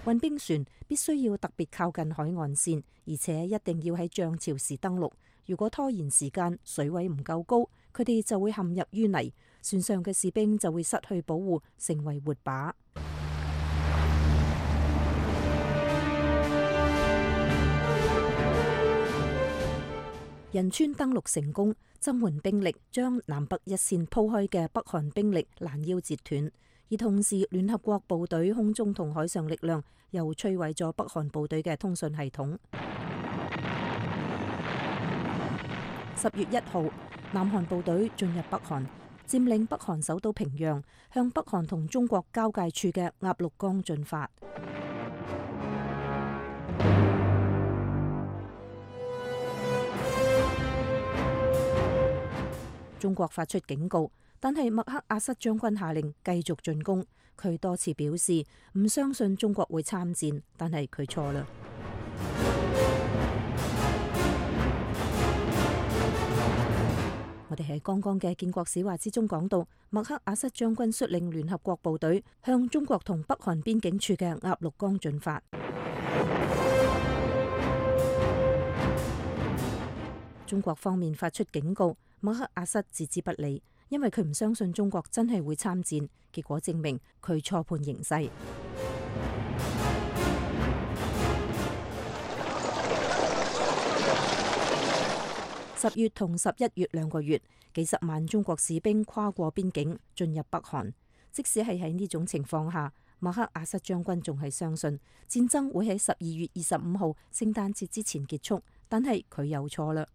運兵船必須要特別靠近海岸線，而且一定要喺漲潮時登陸。如果拖延時間，水位唔夠高，佢哋就會陷入淤泥，船上嘅士兵就會失去保護，成為活靶。仁川登陸成功，增援兵力將南北一線鋪開嘅北韓兵力攔腰截斷。而同時，聯合國部隊空中同海上力量又摧毀咗北韓部隊嘅通訊系統。10月1號，南韓部隊進入北韓，佔領北韓首都平壤，向北韓同中國交界處嘅鴨綠江進發。中國發出警告。但係麥克阿瑟將軍下令繼續進攻，佢多次表示唔相信中國會參戰，但係佢錯啦。我哋喺剛剛嘅建國史話之中講到，麥克阿瑟將軍率領聯合國部隊向中國同北韓邊境處嘅鴨綠江進發。中國方面發出警告，麥克阿瑟置之不理。因為佢唔相信中國真係會參戰，結果證明佢錯判形勢。10月同11月2個月，幾十萬中國士兵跨過邊境進入北韓。即使係喺呢種情況下，麥克阿瑟將軍仲係相信戰爭會喺12月25號聖誕節之前結束，但係佢又錯啦。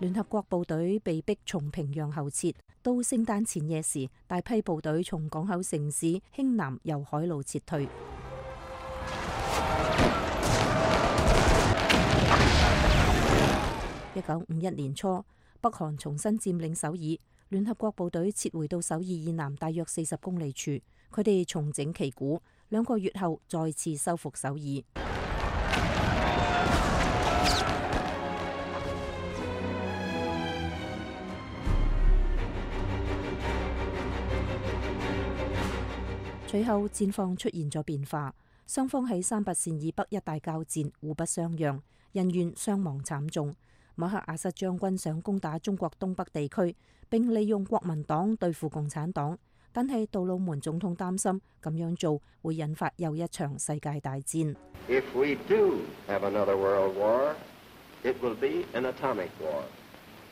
聯合國部隊被逼從平壤後撤，到聖誕前夜時，大批部隊從港口城市興南由海路撤退。1951年初，北韓重新佔領首爾，聯合國部隊撤回到首爾以南大約40公里處，佢哋重整旗鼓，2個月後再次收復首爾。隨後戰況出現咗變化，雙方喺三八線以北一帶交戰，互不相讓，人員傷亡慘重。麥克阿瑟將軍想攻打中國東北地區，並利用國民黨對付共產黨，但係杜魯門總統擔心咁樣做會引發又一場世界大戰。If we do have another world war, it will be an atomic war.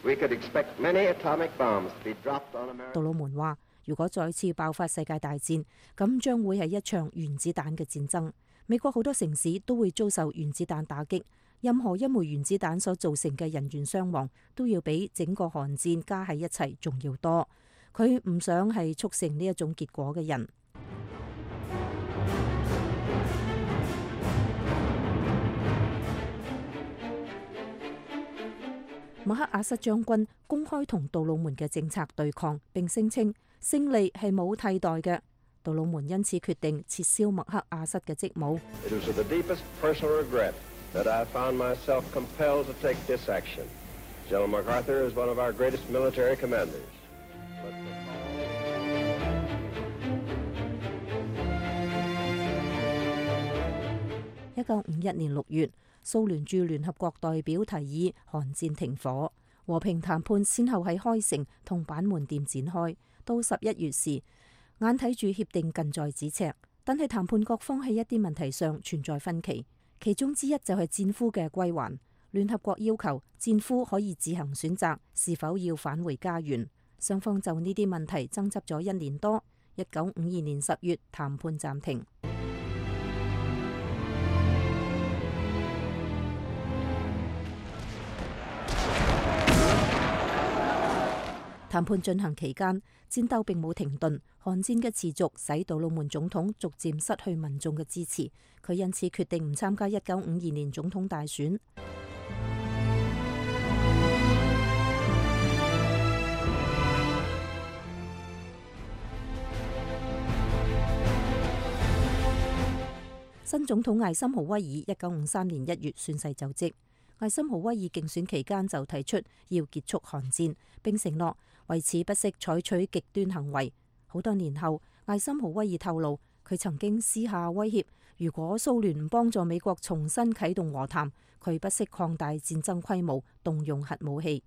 We could expect many atomic bombs to be dropped on America. 杜魯門話：如果再次爆發世界大戰，咁將會係一場原子彈嘅戰爭。美國好多城市都會遭受原子彈打擊，任何一枚原子彈所造成嘅人員傷亡，都要比整個韓戰加喺一齊仲要多。佢唔想係促成呢一種結果嘅人。麥克阿瑟將軍公開同杜魯門嘅政策對抗，並聲稱勝利係冇替代嘅。杜魯門因此決定撤銷麥克阿瑟嘅職務。It was with the deepest personal regret that I found myself compelled to take this action. General MacArthur is one of our greatest military commanders. 1951年6月，蘇聯駐聯合國代表提議韓戰停火，和平談判先後喺開城同板門店展開。到11月時，眼睇住協定近在咫尺，但係談判各方喺一啲問題上存在分歧，其中之一就係戰俘嘅歸還。聯合國要求戰俘可以自行選擇是否要返回家園，雙方就呢啲問題爭執咗1年多。1952年10月，談判暫停。談判進行期間，戰鬥並冇停頓。韓戰嘅持續使杜魯門總統逐漸失去民眾嘅支持，佢因此決定唔參加1952年總統大選。新總統艾森豪威爾1953年1月宣誓就職。艾森豪威爾競選期間就提出要結束韓戰，並承諾為此不惜採取極端行為。好多年後，艾森豪威爾透露，佢曾經私下威脅，如果蘇聯唔幫助美國重新啟動和談，佢不惜擴大戰爭規模，動用核武器。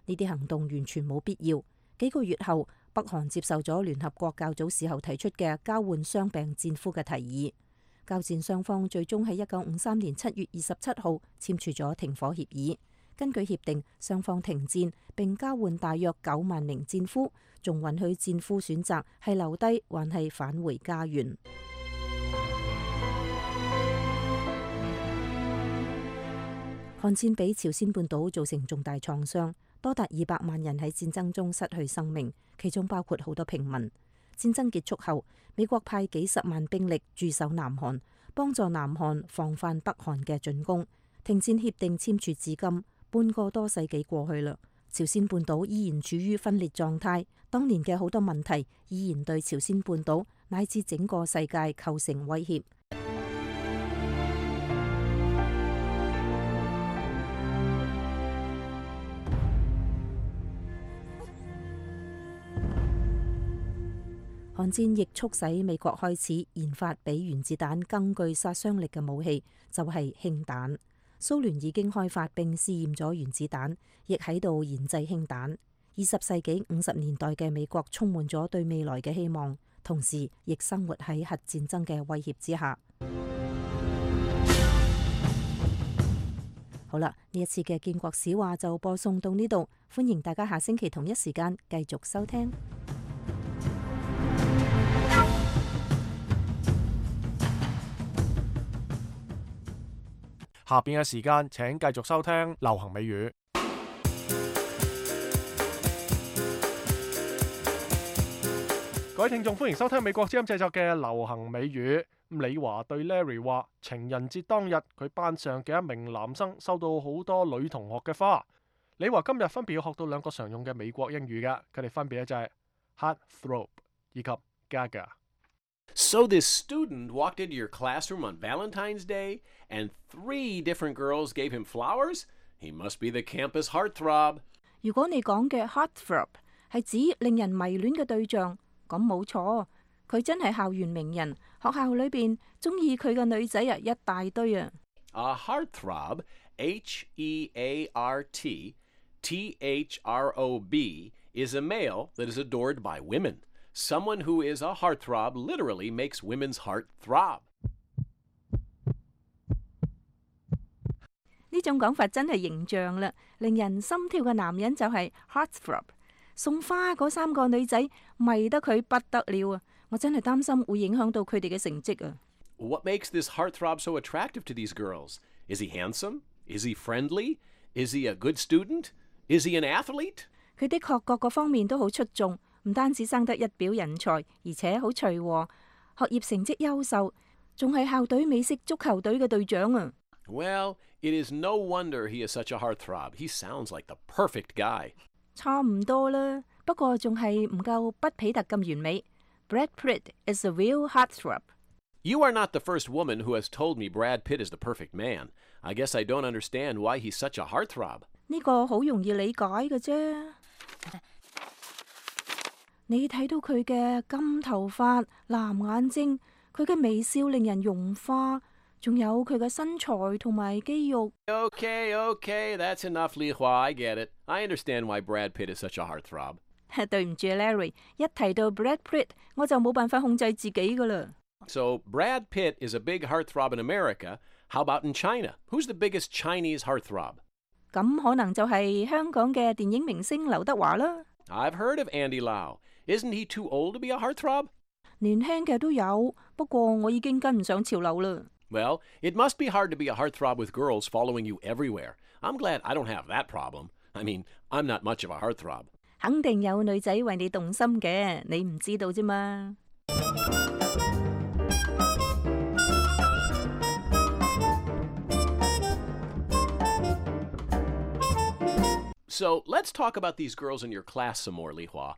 呢啲行動完全冇必要。幾個月後，北韓接受咗聯合國較早時候提出嘅交換傷病戰俘嘅提議。交戰雙方最終喺1953年7月27號簽署咗停火協議。根據協定，雙方停戰並交換大約9萬名戰俘，仲允許戰俘選擇係留低還係返回家園。韓戰俾朝鮮半島造成重大創傷，多達200萬人喺戰爭中失去生命，其中包括好多平民。戰爭結束後，美國派幾十萬兵力駐守南韓，幫助南韓防範北韓嘅進攻。停戰協定簽署至今，半個多世紀過去啦，朝鮮半島依然處於分裂狀態。當年嘅好多問題依然對朝鮮半島乃至整個世界構成威脅。韓戰亦促使美國開始研發比原子彈更具殺傷力嘅武器，就係氫彈。蘇聯已經開發並試驗咗原子彈，亦喺度研製氫彈。20世紀50年代嘅美國充滿咗對未來嘅希望，同時亦生活喺核戰爭嘅威脅之下。好啦，呢一次嘅建國史話就播送到呢度，歡迎大家下星期同一時間繼續收聽。下邊嘅時間請繼續收聽流行美語。各位聽眾，歡迎收聽美國之音製作嘅流行美語。李華對 Larry 話：情人節當日，佢班上嘅一名男生收到好多女同學嘅花。李華今日分別要學到兩個常用嘅美國英語嘅，佢哋分別就係 heartthrob 以及 gaga。So this student walked into your classroom on Valentine's Day, and 3 different girls gave him flowers? He must be the campus heartthrob. 如果你講嘅 heartthrob 係指令人迷戀嘅對象，咁冇錯，佢真係校園名人，學校裏邊中意佢嘅女仔啊一大堆啊。A heartthrob, H-E-A-R-T-T-H-R-O-B, is a male that is adored by women. Someone who is a heartthrob literally makes women's heart throb. 呢種講法真係形象啦，令人心跳嘅男人就係 heartthrob。送花嗰3個女仔迷得佢不得了啊！我真係擔心會影響到佢哋嘅成績啊。What makes this heartthrob so attractive to these girls? Is he handsome? Is he friendly? Is he a good student? Is he an athlete? 佢的確各個方面都好出眾，唔單止生得一表人才，而且好隨和，學業成績優秀，仲係校隊美式足球隊嘅隊長啊。Well, it is no wonder he is such a heartthrob. He sounds like the perfect guy. 差唔多啦，不過仲係唔夠畢彼特咁完美。Brad Pitt is a real heartthrob. You are not the first woman who has told me Brad Pitt is the perfect man. I guess I don't understand why he's such a heartthrob. 呢個好容易理解嘅啫。你睇到佢嘅金頭髮、藍眼睛，佢嘅微笑令人融化。仲有佢嘅身材同埋肌肉。Okay, that's enough, Li Hua. I get it. I understand why Brad Pitt is such a heartthrob. 對唔住 ，Larry， 一提到 Brad Pitt， 我就冇辦法控制自己噶啦。So Brad Pitt is a big heartthrob in America. How about in China? Who's the biggest Chinese heartthrob? 咁可能就係香港嘅電影明星劉德華啦。I've heard of Andy Lau. Isn't he too old to be a heartthrob? 年輕嘅都有，不過我已經跟唔上潮流啦。Well, it must be hard to be a heartthrob with girls following you everywhere. I'm glad I don't have that problem. I mean, I'm not much of a heartthrob. 肯定有女仔為你動心嘅，你唔知道啫嘛。So let's talk about these girls in your class some more, Li Hua.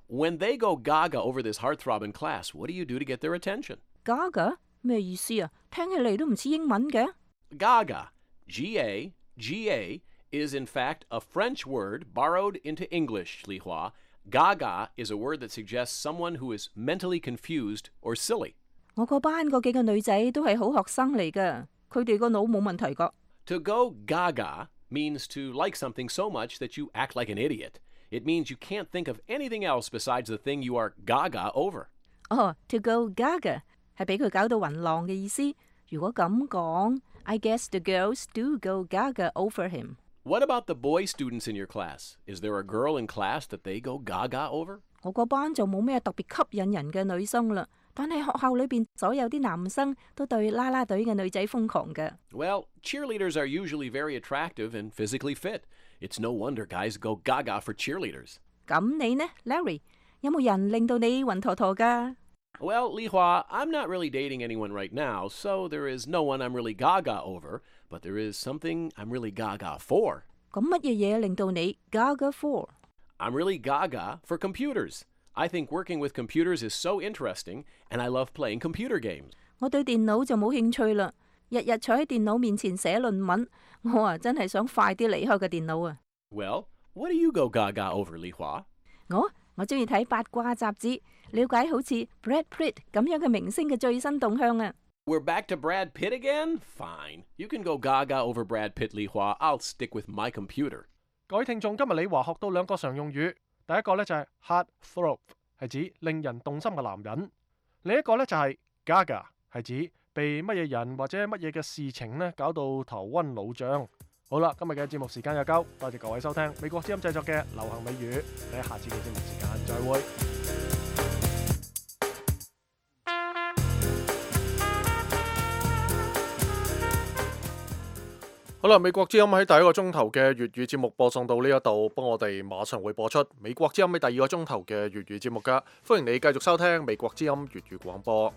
When they go gaga over this heartthrob in class, what do you do to get their attention? Gaga? 咩意思啊？聽起嚟都唔似英文嘅。Gaga, G-A-G-A, is in fact a French word borrowed into English, Li Hua. Gaga is a word that suggests someone who is mentally confused or silly. 我個班嗰幾個女仔都係好學生嚟㗎，佢哋個腦冇問題㗎。To go gaga means to like something so much that you act like an idiot. It means you can't think of anything else besides the thing you are gaga over. To go gaga 係俾佢搞到暈浪嘅意思。如果咁講 I guess the girls do go gaga over him. What about the boy students in your class? Is there a girl in class that they go gaga over? 我個班就冇咩特別吸引人嘅女生啦，但係學校裏邊所有啲男生都對啦啦隊嘅女仔瘋狂嘅。Well, cheerleaders are usually very attractive and physically fit. It's no wonder guys go gaga for cheerleaders. 咁你呢 ，Larry？ 有冇人令到你暈陀陀㗎？ Well, Li Hua, I'm not really dating anyone right now, so there is no one I'm really gaga over, but there is something I'm really gaga for. 咁乜嘢嘢令到你 gaga for？ I'm really gaga for computers. I think working with computers is so interesting, and I love playing computer games. 我對電腦就冇興趣啦，日日坐喺電腦面前寫論文，我真係想快啲離開個電腦啊。Well, what do you go gaga over, Li Hua? 我中意睇八卦雜誌，了解好似 Brad Pitt 咁樣嘅明星嘅最新動向啊。We're back to Brad Pitt again? Fine. You can go gaga over Brad Pitt, Li Hua. I'll stick with my computer. 各位聽眾，今日李華學到兩個常用語，第一個呢就係 heartthrob， 係指令人動心嘅男人；另一個呢就係 gaga， 係指被乜嘢人或者乜嘢嘅事情呢搞到頭暈腦脹。好啦，今日嘅節目時間又夠，多謝各位收聽美國之音製作嘅流行美語，你喺下次嘅節目時間再會。好啦，美國之音喺第一個鐘頭嘅粵語節目播送到呢一度，幫我哋馬上會播出美國之音喺第二個鐘頭嘅粵語節目噶，歡迎你繼續收聽美國之音粵語廣播。